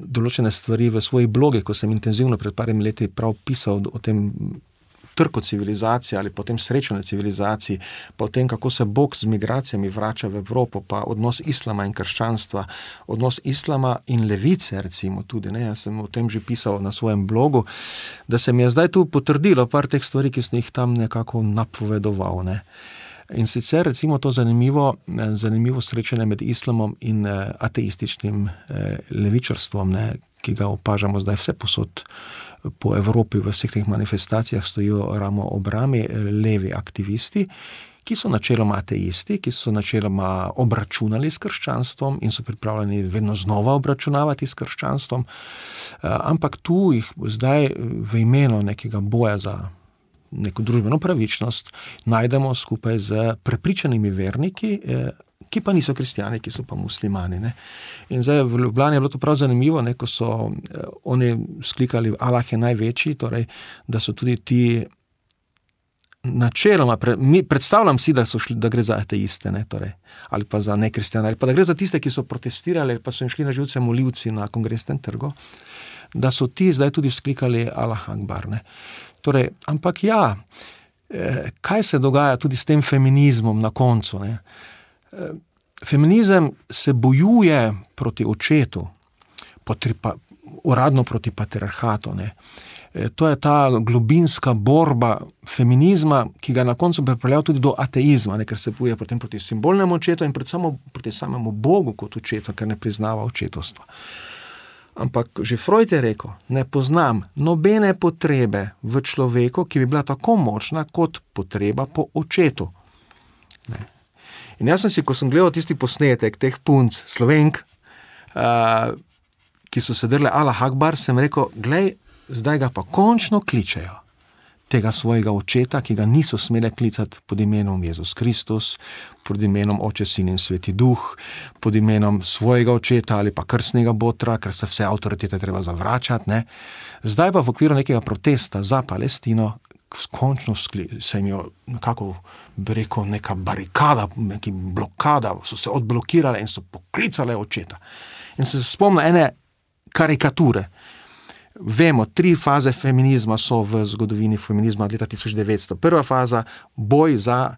določene stvari v svojih blogih, ko sem intenzivno pred parimi leti prav pisal o tem trku civilizacije ali potem srečanju civilizaciji, pa o tem, kako se Bog z migracijami vrača v Evropo, pa odnos islama in krščanstva, odnos islama in levice recimo tudi, ne, jaz sem o tem že pisal na svojem blogu, da se mi je zdaj tu potrdilo par teh stvari, ki sem jih tam nekako napovedoval, ne. In sicer recimo to zanimivo srečanje med islamom in ateističnim levičarstvom, ne, ki ga opažamo zdaj vse posod po Evropi, v vseh teh manifestacijah stojijo ramo ob rami levi aktivisti, ki so načeloma ateisti, ki so načeloma obračunali s krščanstvom in so pripravljeni vedno znova obračunavati s krščanstvom, ampak tu jih zdaj v imenu nekega boja za neko družbeno pravičnost najdemo skupaj z prepričanimi verniki, ki pa niso kristjani, ki so pa muslimani. Ne. In zdaj v Ljubljani je bilo to prav zanimivo, ne, ko so oni sklikali Allah je največji, torej, da so tudi ti načeloma, predstavljam si, da gre za ateiste, ne, torej, ali pa za nekristjane, ali pa da gre za tiste, ki so protestirali, ali pa so jim šli na živce molivci na Kongresnem trgu, da so ti zdaj tudi sklikali Allah Akbar. Ne. Torej, ampak ja, kaj se dogaja tudi s tem feminizmom na koncu. Ne? Feminizem se bojuje proti očetu, uradno proti patriarhatu. Ne? To je ta globinska borba feminizma, ki ga na koncu pripeljal tudi do ateizma, ne? Ker se bojuje potem proti simbolnemu očetu in predvsem proti samemu Bogu kot očetu, ker ne priznava očetovstva. Ampak že Freud je rekel, ne poznam nobene potrebe v človeku, ki bi bila tako močna kot potreba po očetu. Ne. In jaz sem si, ko sem gledal tisti posnetek teh punc, Slovenk, ki so se drle Allah Akbar, sem rekel, glej, zdaj ga pa končno kličejo. Tega svojega očeta, ki ga niso smele klicati pod imenom Jezus Kristus, pod imenom Oče, Sin in Sveti Duh, pod imenom svojega očeta ali pa krstnega botra, ker se vse avtoritete treba zavračati. Ne. Zdaj pa v okviru nekega protesta za Palestino končno se jim je nekako, bi rekel, neka barikada, neka blokada, so se odblokirale in so poklicale očeta. In se spomnim ene karikature. Vemo, 3 faze feminizma so v zgodovini feminizma od leta 1900. Prva faza, boj za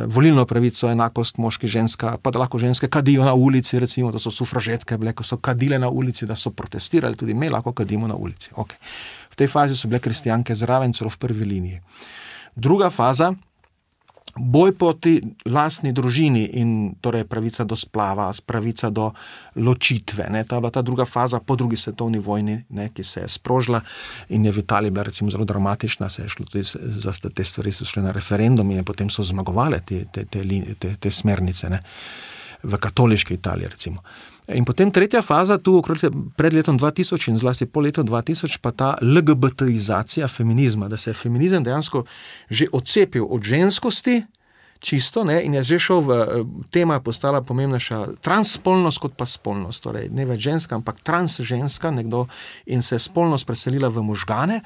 volilno pravico, enakost moški, ženska, pa da lahko ženske kadijo na ulici, recimo, da so sufražetke bile, ko so kadile na ulici, da so protestirali, tudi mi lahko kadimo na ulici. Okay. V tej fazi so bile kristjanke zraven, celo v prvi liniji. Druga faza, boj proti lastni družini in torej pravica do splava, pravica do ločitve. Ne. Ta je bila ta druga faza po drugi svetovni vojni, ne, ki se je sprožila in je v Italiji bila recimo zelo dramatična, se je šlo tudi za te stvari, so šle na referendum in potem so zmagovale te smernice, ne, v katoliški Italiji recimo. In potem tretja faza, tu pred letom 2000 in zlasti po letu 2000, pa ta LGBTizacija feminizma, da se je feminizem dejansko že odcepil od ženskosti, čisto, ne, in je že šel tema je postala pomembnejša transspolnost kot pa spolnost, torej ne več ženska, ampak transženska, nekdo, in se je spolnost preselila v možgane,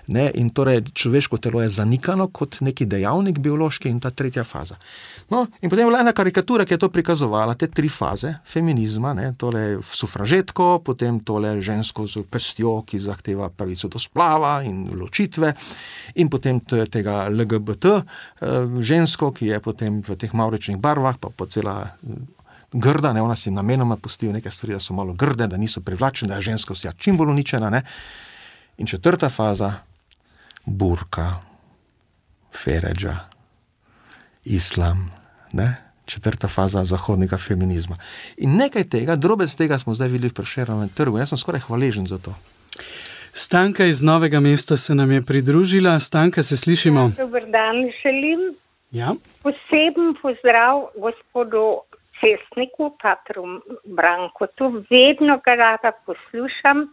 ne, in torej človeško telo je zanikano kot neki dejavnik biološki in ta tretja faza. No, in potem je bila ena karikatura, ki je to prikazovala, te 3 faze feminizma, ne, tole sufražetko, potem tole žensko z pestjo, ki zahteva pravico do splava in ločitve, in potem tega LGBT žensko, ki je potem v teh mavričnih barvah, pa cela grda, ne, ona si namenoma pustijo neke stvari, da so malo grde, da niso privlačene, da je ženskost čim bolj uničena, ne. In 4. faza, burka, feredža, islam, ne, 4. faza zahodnega feminizma. In nekaj tega, drobec tega smo zdaj videli v Prešernovem trgu. Jaz sem skoraj hvaležen za to. Stanka iz Novega mesta se nam je pridružila. Stanka, se slišimo. Dober dan, želim. Ja. Poseben pozdrav gospodu Cestniku, patru Brankotu. Vedno ga rada poslušam,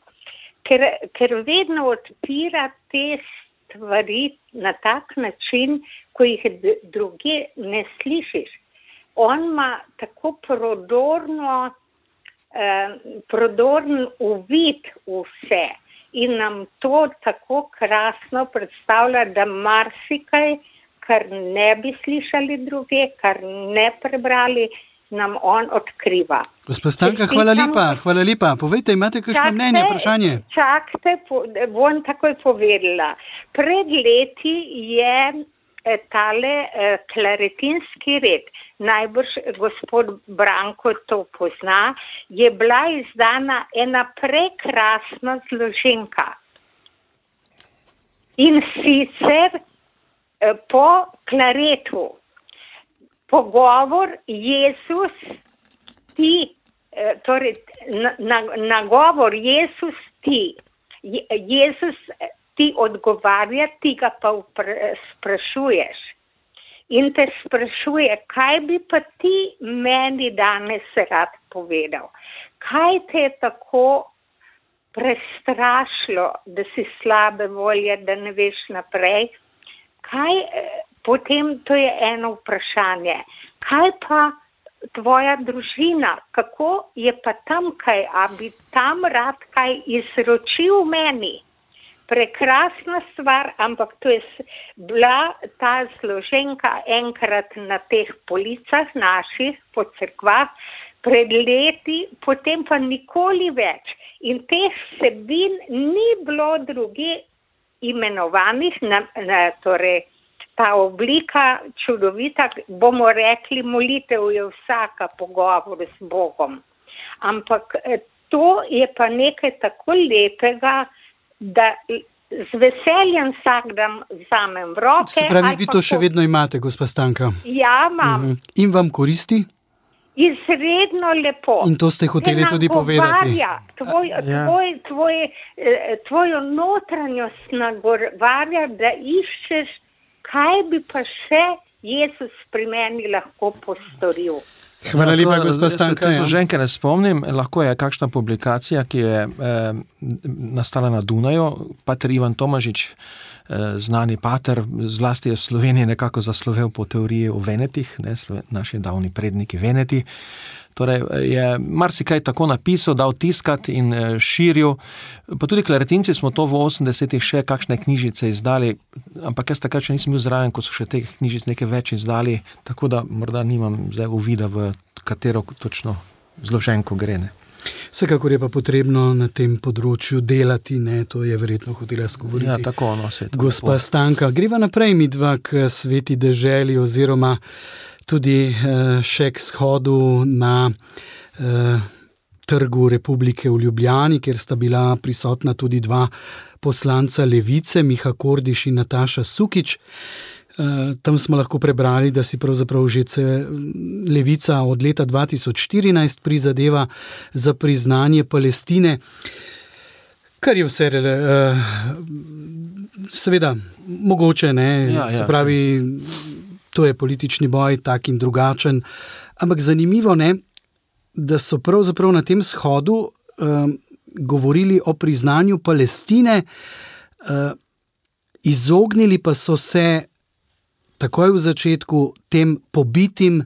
ker vedno odpira te stvari na tak način, ko jih druge ne slišiš. On ima tako prodorn uvid v vse in nam to tako krasno predstavlja, da marsikaj, kar ne bi slišali druge, kar ne prebrali, nam on odkriva. Gospa Stanka, hvala lepa. Povejte, imate kakšno mnenje, vprašanje? Čakajte, bom takoj povedala. Pred leti je tale klaretinski red, najbrž gospod Branko to pozna, je bila izdana ena prekrasna zloženka. In sicer po klaretu. Pogovor Jezus ti, torej nagovor Jezus ti. Jezus ti odgovarja, ti ga pa sprašuješ. In te sprašuje, kaj bi pa ti meni danes rad povedal? Kaj te je tako prestrašilo, da si slabe volje, da ne veš naprej? Kaj, potem to je eno vprašanje. Kaj pa tvoja družina? Kako je pa tam kaj? A bi tam rad kaj izročil meni? Prekrasna stvar, ampak to je bila ta zloženka enkrat na teh policah naših, po cerkvah, pred leti, potem pa nikoli več. In teh vsebin ni bilo druge imenovanih, torej ta oblika čudovita, bomo rekli, molitev je vsaka pogovor s Bogom. Ampak to je pa nekaj tako lepega, da z veseljem vsak dan vzamem v roke. Se pravi, vi to še vedno imate, gospa Stanka? Ja, imam. In vam koristi? Izredno lepo. In to ste hoteli tudi povedati. Tvojo notranjost nagovarja, da iščeš, kaj bi pa še Jezus pri meni lahko postoril. Hvala lepa, gospa Stanka. Jaz ženke ne spomnim, lahko je kakšna publikacija, ki je nastala na Dunaju. Pater Ivan Tomažič, znani pater, zlasti je v Sloveniji nekako zaslovel po teoriji o venetih, naši davni predniki veneti. Torej je marsikaj tako napisal, dal tiskat in širil. Pa tudi klaretinci smo to v 80-ih še kakšne knjižice izdali, ampak jaz takrat še nisem bil zraven, ko so še teh knjižic nekaj več izdali, tako da morda nimam zdaj uvida, v katero točno zloženko gre. Ne. Vsekakor je pa potrebno na tem področju delati, ne, to je verjetno hotela skovoriti. Ja, tako, gospa Stanka, greva naprej midva k Sveti deželi oziroma tudi še k shodu na Trgu Republike v Ljubljani, kjer sta bila prisotna tudi dva poslanca Levice, Miha Kordiš in Nataša Sukič. Tam smo lahko prebrali, da si pravzaprav že Levica od leta 2014 prizadeva za priznanje Palestine, kar je vse seveda mogoče, ne, se pravi, to je politični boj, tak in drugačen, ampak zanimivo, ne, da so pravzaprav na tem shodu govorili o priznanju Palestine, izognili pa so se takoj v začetku tem pobitim,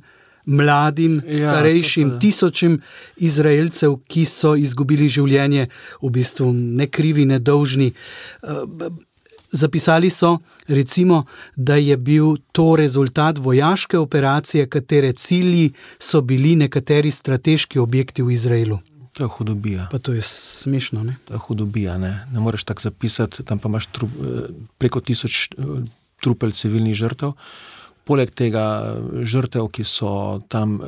mladim, starejšim, tisočim Izraelcev, ki so izgubili življenje, v bistvu nekrivi, nedolžni. Zapisali so, recimo, da je bil to rezultat vojaške operacije, katere cilji so bili nekateri strateški objekti v Izraelu. To je hudobija. Pa to je smešno, ne? To je hudobija, ne? Ne moreš tako zapisati, tam pa imaš preko 1000 trupel civilnih žrtev. Poleg tega žrtev, ki so tam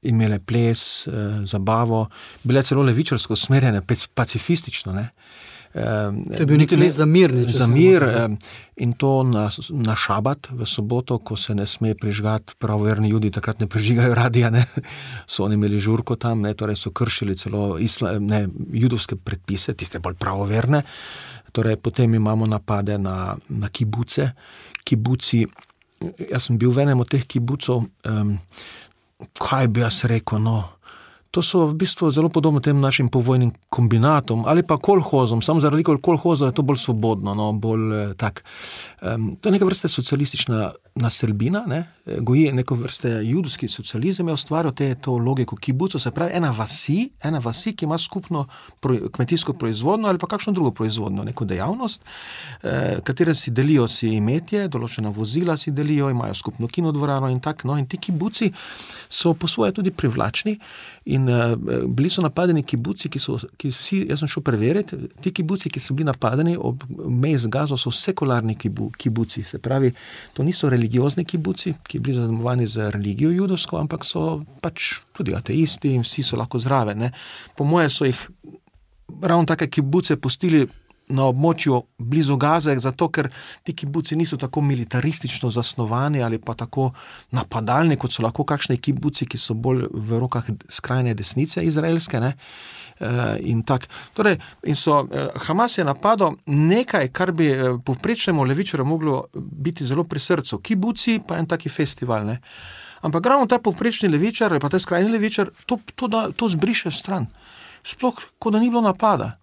imele ples, zabavo, bile celo levičarsko usmerjene, pacifistično, ne? To je bil nekaj za mir. Za mir in to na šabat, v soboto, ko se ne sme prižgati, pravoverni Judi takrat ne prižigajo radija, ne? So oni imeli žurko tam, ne? Torej so kršili celo judovske predpise, tiste bolj pravoverne. Torej potem imamo napade na kibuce. Kibuci, jaz sem bil v enem od teh kibucov, kaj bi jaz rekel, no, to so v bistvu zelo podobno tem našim povojnim kombinatom ali pa kolhozom, samo zaradi kolhoza je to bolj svobodno, no, bolj tak. To je neka vrste socialistična naselbina, ne, goji neko vrste judovski socializem, je ustvaril to logiko kibuco, se pravi ena vasi, ki ima skupno kmetijsko proizvodno ali pa kakšno drugo proizvodno, neko dejavnost, katere si delijo si imetje, določena vozila si delijo, imajo skupno kinodvorano in tak, no, in ti kibuci so po svoje tudi privlačni in bili so napadeni kibuci, jaz sem šel preveriti, ti kibuci, ki so bili napadeni ob meji z Gazo, so sekularni kibuci, se pravi, to niso religiozni kibuci, ki bili zaznamovani z religijo judovsko, ampak so pač tudi ateisti in vsi so lahko zraven, ne. Po moje so jih ravno take kibuce pustili na območju blizu Gaze, zato ker ti kibuci niso tako militaristično zasnovani ali pa tako napadalni, kot so lahko kakšni kibuci, ki so bolj v rokah skrajne desnice izraelske, ne. In tak. Torej, Hamas je napadal nekaj, kar bi povprečnemu levičarju moglo biti zelo pri srcu. Kibuci pa en taki festival, ne. Ampak ravno ta povprečni levičar ali pa ta skrajni levičar to zbriše stran. Sploh, kot da ni bilo napada.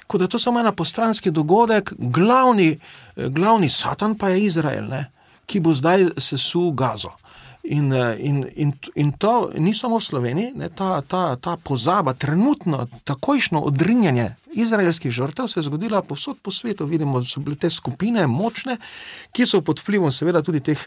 Kot da je to samo ena postranski dogodek, glavni satan pa je Izrael, ne, ki bo zdaj sesul Gazo. In to ni samo v Sloveniji, ne, ta pozaba, trenutno takojšno odrinjanje izraelskih žrtev se je zgodila povsod po svetu. Vidimo, da so bile te skupine močne, ki so pod vplivom seveda tudi teh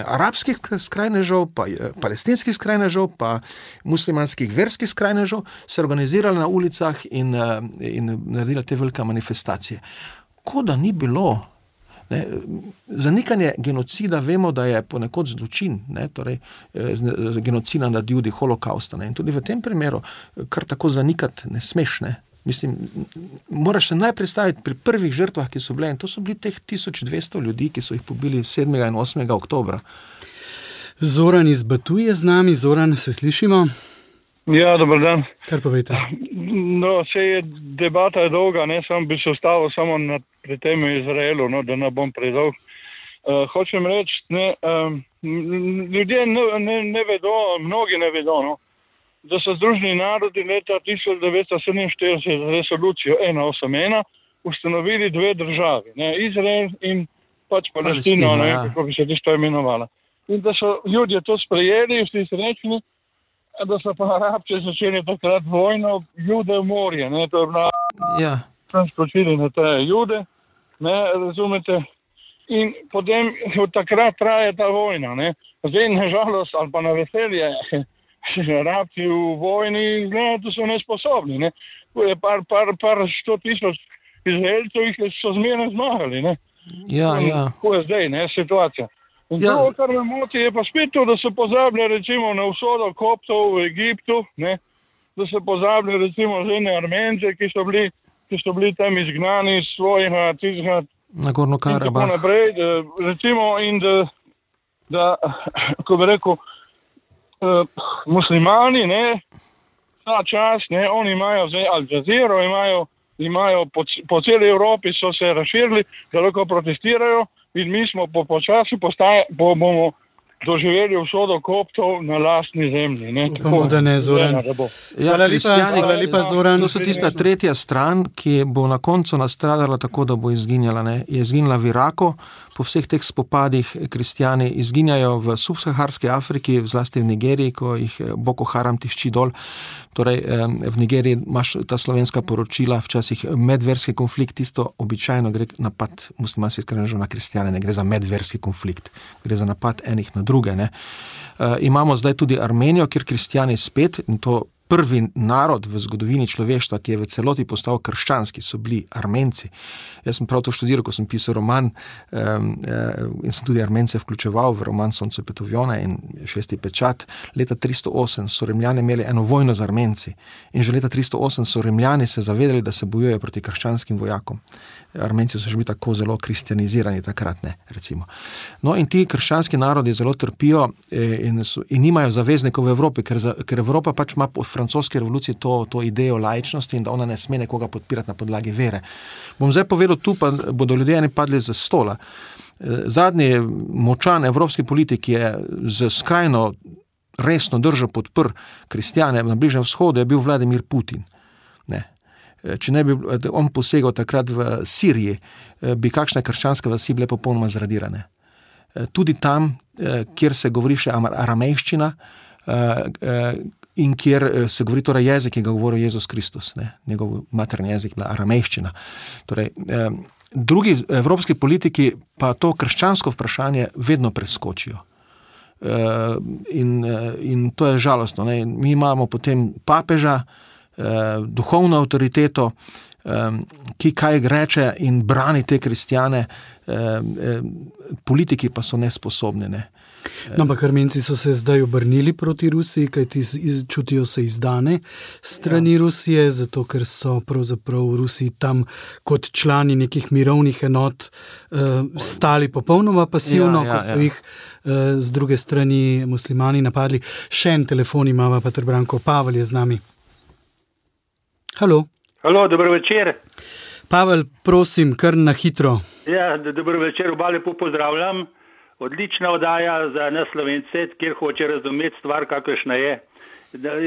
arabskih skrajnežev, pa palestinskih skrajnežev, pa muslimanskih verskih skrajnežev, se organizirali na ulicah in naredili te velike manifestacije. Ko da ni bilo Ne, zanikanje genocida vemo, da je ponekod zločin, ne, torej genocida nad Judi, holokausta. Ne, in tudi v tem primeru kar tako zanikati ne smeš. Ne. Mislim, moraš se najprej staviti pri prvih žrtvah, ki so bile, in to so bili teh 1200 ljudi, ki so jih pobili 7. in 8. oktobra. Zoran iz Batuje z nami. Zoran, se slišimo? Ja, dober dan. Kar povejte. No, debata je dolga, ne, sam bi se ustavil samo pri tem Izraelu, no, da ne bom predolg. Hočem reči, ljudje ne vedo, mnogi ne vedo, no, da so Združeni narodi leta 1947 z resolucijo 181 ustanovili 2 državi, ne, Izrael in pač Palestina, ne, kako bi se tisto imenovala. In da so ljudje to sprejeli, vsi srečni, da so pa Arabci začeli takrat vojno, Jude v morje, ne, to je bila, tam skočili na te Jude, ne, razumete, in potem od takrat traje ta vojna, ne, zdaj nažalost, ali pa na veselje, Arabci v vojni, ne, to so nesposobni, ne, je par 100,000 Izraelcev, jih so zmerno zmagali, ne. Kako je zdaj, ne, situacija. In to, kar me moti, je pa spet to, da se pozablja recimo na usodo koptov v Egiptu, ne, da se pozablja recimo žene Armence, ki so bili tam izgnani iz svojega tizga Nagorno Karabah. In tako naprej, recimo, in da ko bi rekel, muslimani, ne, ta čas, ne, oni imajo zdaj Al Jazeero, imajo po celi Evropi so se razširili, da lahko protestirajo in mi smo počasi bomo doživeli usodo koptov na lastni zemlji. Ne. Upamo, da ne, Zoran. Hvala lepa, Zoran. To so tista tretja stran, ki bo na koncu nastradala tako, da bo izginjala. Ne. Je izginjala v Iraku, po vseh teh spopadih kristjani izginjajo v subsaharski Afriki, zlasti v Nigeriji, ko jih Boko Haram tišči dol. Torej, v Nigeriji imaš ta slovenska poročila, včasih medverski konflikt, tisto običajno gre napad muslimanskih skrajnežev na kristjane, ne gre za medverski konflikt, gre za napad enih na druge. Ne. Imamo zdaj tudi Armenijo, kjer kristjani spet, in to prvi narod v zgodovini človeštva, ki je v celoti postal krščanski, so bili Armenci. Jaz sem prav to študiral, ko sem pisal roman in sem tudi Armence vključeval v roman Sonce Petovjone in 6. pečat. Leta 308 so Rimljani imeli eno vojno z Armenci in že leta 308 so Rimljani se zavedali, da se bojujejo proti krščanskim vojakom. Armenci so že bili tako zelo kristjanizirani takrat, ne, recimo. No in ti krščanski narodi zelo trpijo in nimajo zaveznikov v Evropi, ker Evropa pač ima po francoski revoluciji to idejo laičnosti in da ona ne sme nekoga podpirati na podlagi vere. Bom zdaj povedal tu, pa bodo ljudje eni padli z stola. Zadnji močan evropski politik je z skrajno resno držo podprl kristjane na Bližnjem vzhodu, je bil Vladimir Putin. Ne. Če ne bi on posegal takrat v Siriji, bi kakšne krščanske vasi bile popolnoma zradirane. Tudi tam, kjer se govori še aramejščina in kjer se govori torej jezik, ki ga govori Jezus Kristus, ne? Njegov materni jezik bila aramejščina. Torej, drugi evropski politiki pa to krščansko vprašanje vedno preskočijo. In to je žalostno. Ne? Mi imamo potem papeža, duhovno avtoriteto, ki kaj reče in brani te kristjane, politiki pa so nesposobni. Ne? No, ampak Armenci so se zdaj obrnili proti Rusiji, kajti čutijo se izdane strani Rusije, zato ker so pravzaprav v Rusiji tam kot člani nekih mirovnih enot stali popolnoma pasivno, ko so jih z druge strani muslimani napadli. Še en telefon imava, Peter Branko. Pavel je z nami. Halo, dober večer. Pavel, prosim, kar na hitro. Ja, dober večer, oba lepo pozdravljam. Odlična oddaja za nas Slovence, kjer hoče razumeti stvar, kakršna je.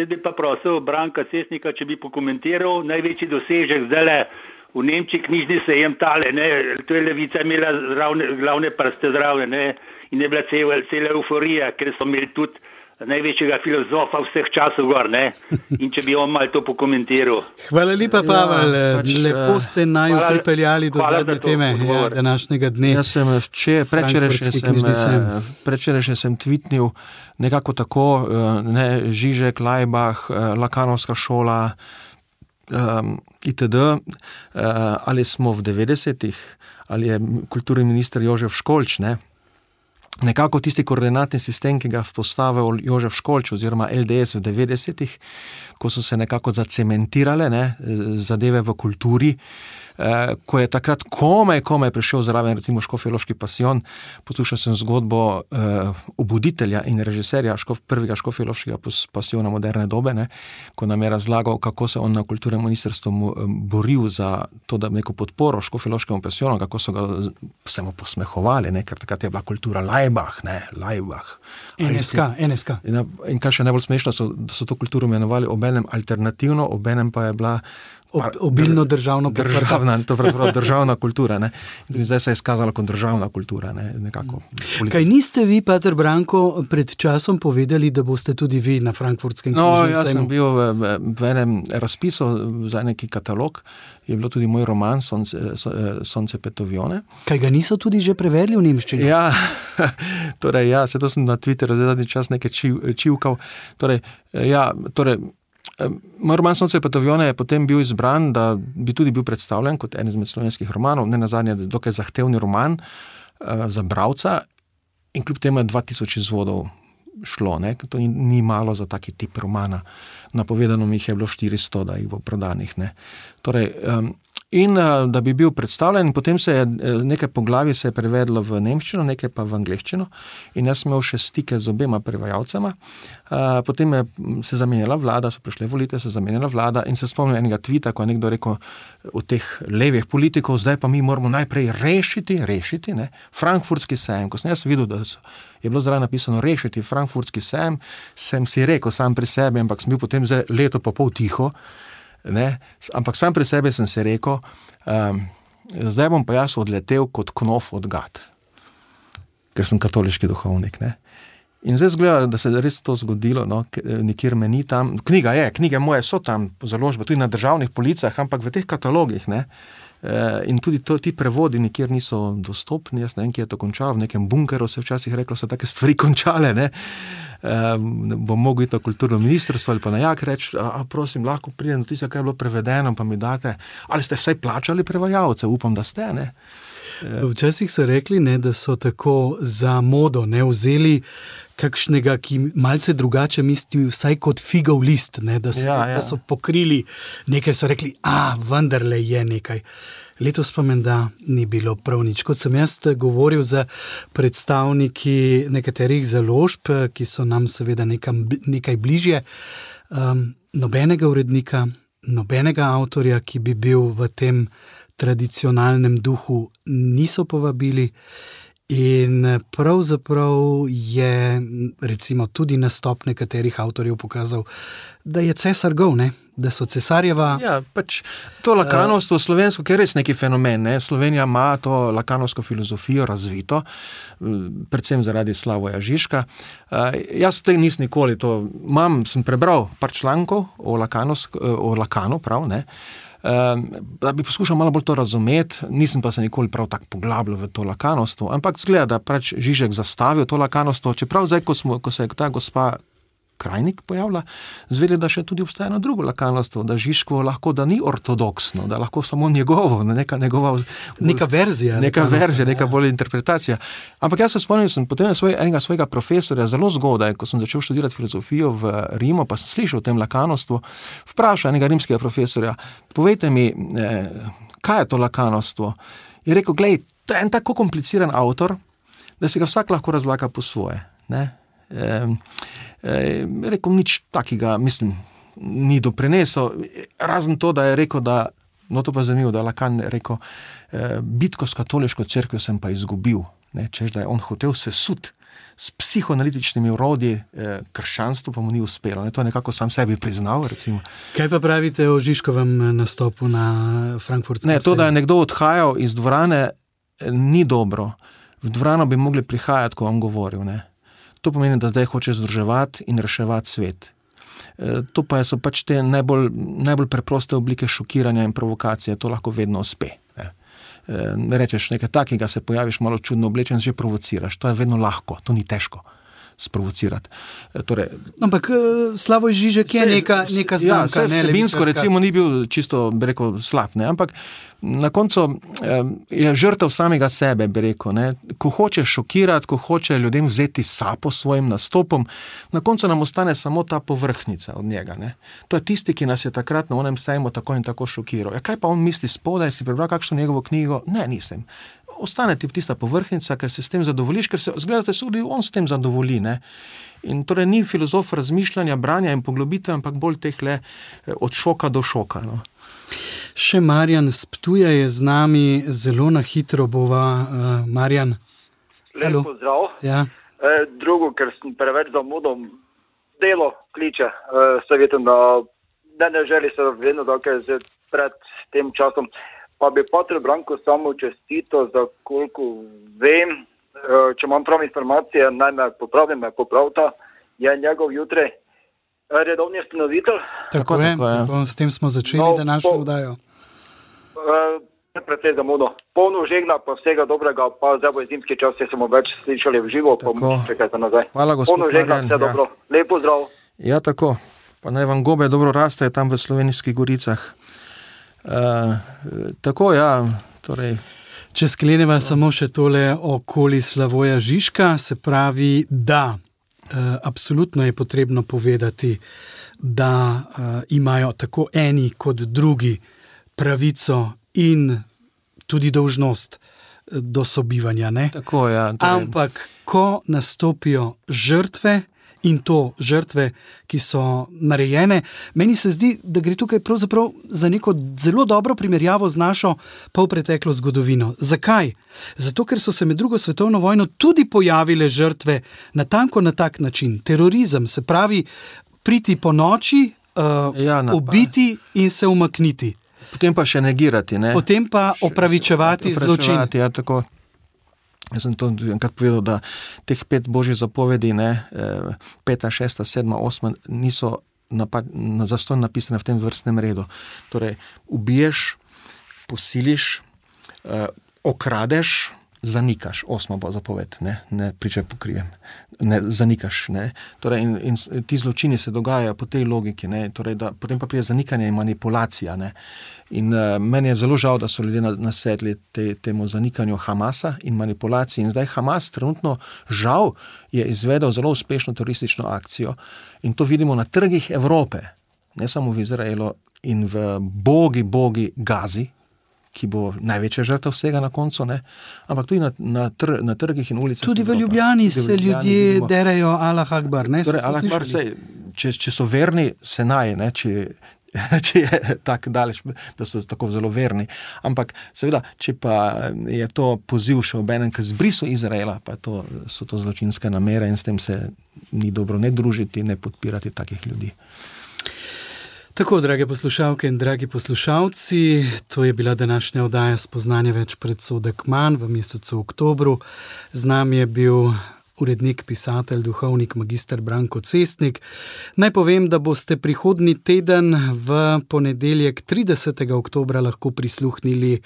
Bi pa prosil Branka Cesnika, če bi pokomentiral največji dosežek zdajle v Nemčiji knjižni sejem tale, ne, to je Levica imela glavne prste zraven, ne, in je bila cela euforija, ker so imeli tudi največjega filozofa vseh časov gor, ne, in če bi on malo to pokomentiral. Hvala lepa, Pavel, lepo ste naju pripeljali do zadnje teme današnjega dne. Jaz sem predvčerajšnjem sem tweetnil nekako tako, ne, Žižek, Laibach, Lakanovska šola, itd., ali smo v 90-ih, ali je kulturni minister Jožef Školč, ne. Nekako tisti koordinatni sistem, ki ga postavil Jožef Školč oziroma LDS v 90-ih, ko so se nekako zacementirale, ne, zadeve v kulturi, ko je takrat komaj prišel zraven recimo Škofjeloški pasijon. Poslušal sem zgodbo obuditelja in režiserja prvega Škofjeloškega pasijona moderne dobe, ne, ko nam je razlagal, kako se on na kulturnem ministrstvu boril za to, da neko podporo Škofjeloškemu pasijonu, kako so ga se mu posmehovali, ne, ker takrat je bila kultura Laibach, ne, Laibach. NSK. In kaj še najbolj smešno, da so to kulturo imenovali obenem alternativno, obenem pa je bila obilno državna kultura, ne. In zdaj se je izkazala kot državna kultura, ne, nekako. Kaj niste vi, Pater Branko, pred časom povedali, da boste tudi vi na Frankfurtskem knjižnem sejmu? Jaz sem bil v enem razpisu za neki katalog, je bilo tudi moj roman Sonce Petovione. Kaj ga niso tudi že prevedli v nemščino? Ja, torej, se to sem na Twitteru zadnji čas nekaj čivkal. Moj roman Sonce Petovione je potem bil izbran, da bi tudi bil predstavljen kot en izmed slovenskih romanov, ne nazadnje dokaj zahtevni roman za bralca in kljub temu je 2000 izvodov šlo, ne? To ni malo za taki tip romana. Napovedano mi jih je bilo 400, da jih bo prodanih, ne? Torej, in da bi bil predstavljen, potem se je nekaj poglavij se je prevedlo v nemščino, nekaj pa v angleščino in jaz sem imel še stike z obema prevajalcema. Potem se zamenjala vlada, so prišle volitve, se zamenjala vlada in se spomnim enega tvita, ko je nekdo rekel od teh levih politikov, zdaj pa mi moramo najprej rešiti, ne, Frankfurtski sejem. Ko sem jaz videl, da je bilo zraven napisano rešiti Frankfurtski sejem, sem si rekel sam pri sebi, ampak sem bil potem leto pa pol tiho, ne, ampak sam pri sebi sem si rekel, zdaj bom pa jaz odletel kot knof od gad, ker sem katoliški duhovnik, ne. In zdaj zgleda, da se je res to zgodilo, no, nikjer me ni tam, knjige moje so tam po založbi, tudi na državnih policah, ampak v teh katalogih, ne, in tudi ti prevodi nikjer niso dostopni, jaz ne vem, kje je to končalo, v nekem bunkeru se včasih reklo, so take stvari končale, ne, bom mogel iti na kulturno ministrstvo ali pa na Jak reči, prosim, lahko pridem do tistega, kaj je bilo prevedeno, pa mi date, ali ste vsaj plačali prevajalce, upam, da ste, ne. Včasih so rekli, ne, da so tako za modo, ne, vzeli kakšnega, ki malce drugače misli vsaj kot figov list, ne, da so pokrili nekaj, so rekli, vendarle je nekaj. Letos pa menda ni bilo prav nič. Kot sem jaz govoril za predstavniki nekaterih založb, ki so nam seveda nekaj bližje, nobenega urednika, nobenega avtorja, ki bi bil v tem tradicionalnem duhu, niso povabili. In pravzaprav je recimo tudi nastop nekaterih avtorjev pokazal, da je cesar gol, ne? Da so cesarjeva... Ja, pač to lakanovstvo slovensko, ki je res neki fenomen, ne? Slovenija ima to lakanovsko filozofijo razvito, predvsem zaradi Slavoja Žižka. Jaz nisem nikoli to... sem prebral par člankov o Lakanu, prav, ne? Da bi poskušal malo bolj to razumeti, nisem pa se nikoli prav tako poglabljal v to lakanovstvo, ampak zgleda, da pač Žižek zastavil to lakanovstvo, čeprav zdaj, ko se je ta gospa Krajnik pojavila, zvedeli, da še tudi obstaja eno drugo lakanovstvo, da Žižkovo lahko, da ni ortodoksno, da lahko samo njegovo, neka verzija, neka bolj interpretacija. Ampak jaz se spomnim, sem potem enega svojega profesorja zelo zgodaj, ko sem začel študirati filozofijo v Rimu, pa sem slišal o tem lakanovstvu, vprašal enega rimskega profesorja, povejte mi, kaj je to lakanovstvo? Je rekel, glej, to je en tako kompliciran avtor, da si ga vsak lahko razlaga po svoje, ne? Rekel, nič takega, mislim, ni doprinesel, razen to, da je rekel, da, no to pa je zanimivo, da Lakan je rekel, bitko s katoliško cerkvijo sem pa izgubil, ne, češ, da je on hotel sesut s psihoanalitičnimi urodji, krščanstvo pa mu ni uspelo, ne, to je nekako sam sebi priznal, recimo. Kaj pa pravite o Žižkovem nastopu na Frankfurtskem sejmu? Ne, to, da je nekdo odhajal iz dvorane, ni dobro. V dvorano bi mogli prihajati, ko on govoril, ne. To pomeni, da zdaj hoče združevati in reševati svet. To pa so pač te najbolj preproste oblike šokiranja in provokacije, to lahko vedno uspe. Rečeš nekaj takega, se pojaviš malo čudno oblečen, že provociraš, to je vedno lahko, to ni težko. sprovocirati. Torej, ampak Slavoj Žižek je neka znamka. Ja, vsebinsko recimo ni bil čisto, bi rekel, slab, ne? Ampak na koncu je žrtev samega sebe, bi rekel, ne? Ko hoče šokirati, ko hoče ljudem vzeti sapo svojim nastopom, na koncu nam ostane samo ta povrhnica od njega. Ne? To je tisti, ki nas je takrat na onem sejmu tako in tako šokiral. Ja, kaj pa on misli spodaj, si prebral kakšno njegovo knjigo? Ne, nisem. Ostane ti tista povrhnica, ker se s tem zadovoljiš, ker se, zgledate, tudi on s tem zadovolji, ne? In torej ni filozof razmišljanja, branja in poglobitve, ampak bolj tehle od šoka do šoka, no. Še Marjan z Ptuja je z nami, zelo na hitro bova. Marjan. Lep pozdrav. Ja. Drugo, ker sem preveč zamudom delo kliče, savjetujem, da ne želi se vedno, da je pred tem časom. Pa bi Patru Branku samo čestito, za koliko vem, če imam prav informacije, naj me popravta, je njegov jutri redovni ustanovitelj. Tako, s tem smo začeli današnjo oddajo. Predvsej zamudo. Polno žegna, pa vsega dobrega, pa zdaj bo zimski čas, se smo več slišali v živo, pa bomo čekajte nazaj. Hvala, gospod Marjan. Polno žegna, vse dobro. Lep pozdrav. Ja, tako. Pa naj vam gobe dobro rastejo tam v Slovenskih goricah. Tako, ja, torej... Če skleneva samo še tole okoli Slavoja Žižka, se pravi, da absolutno je potrebno povedati, da imajo tako eni kot drugi pravico in tudi dolžnost do sobivanja, ne? Tako, ja. Ampak, ko nastopijo žrtve, in to žrtve, ki so narejene, meni se zdi, da gre tukaj pravzaprav za neko zelo dobro primerjavo z našo polpreteklo zgodovino. Zakaj? Zato, ker so se med drugo svetovno vojno tudi pojavile žrtve natanko na tak način. Terorizem, se pravi, priti po noči, ubiti in se umakniti. Potem pa še negirati, ne? Potem pa opravičevati zločin. Ja, tako. Jaz sem to enkrat povedal, da teh 5 božjih zapovedi, 5., 6., 7., 8. niso zastonj napisane v tem vrstnem redu. Torej, ubiješ, posiliš, okradeš, zanikaš. 8. bo zapoved, ne pričaj pokrijem. Ne, zanikaš, ne. Torej, in ti zločini se dogajajo po tej logiki, ne. Torej, da potem pa pride zanikanje in manipulacija, ne. In meni je zelo žal, da so ljudje nasedli temu zanikanju Hamasa in manipulaciji. In zdaj Hamas trenutno žal je izvedel zelo uspešno teroristično akcijo in to vidimo na trgih Evrope, ne samo v Izraelu in v bogi Gazi, ki bo največja žrtev vsega na koncu, ne? Ampak tudi na trgih in ulicah. Tudi v Ljubljani se ljudje derajo Allah Akbar, ne? Torej, Allah Akbar če so verni, se naj, ne? Če je tako daleč, da so tako zelo verni. Ampak seveda, če pa je to poziv še obenem k zbrisu Izraela, pa so to zločinske namere in s tem se ni dobro ne družiti, ne podpirati takih ljudi. Tako, drage poslušalke in dragi poslušalci, to je bila današnja oddaja Spoznanje več predsodek manj v mesecu oktobru. Z nami je bil urednik, pisatelj, duhovnik, magister Branko Cestnik. Naj povem, da boste prihodnji teden v ponedeljek 30. oktobra lahko prisluhnili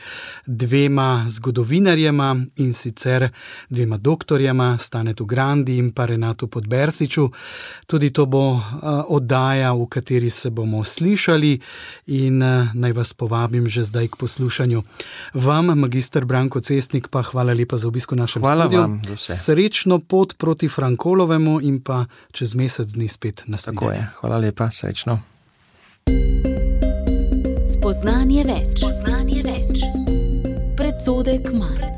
2 zgodovinarjema in sicer 2 doktorjema, Stanetu Grandi in pa Renatu Podbersiču. Tudi to bo oddaja, v kateri se bomo slišali in naj vas povabim že zdaj k poslušanju. Vam, magister Branko Cestnik, pa hvala lepa za obisko v našem studiu. Hvala vam za vse. Srečno pot proti Frankolovemu in pa čez mesec dni spet naslednje. Tako je. Hvala lepa, srečno. Spoznanje več. Predsodek manj.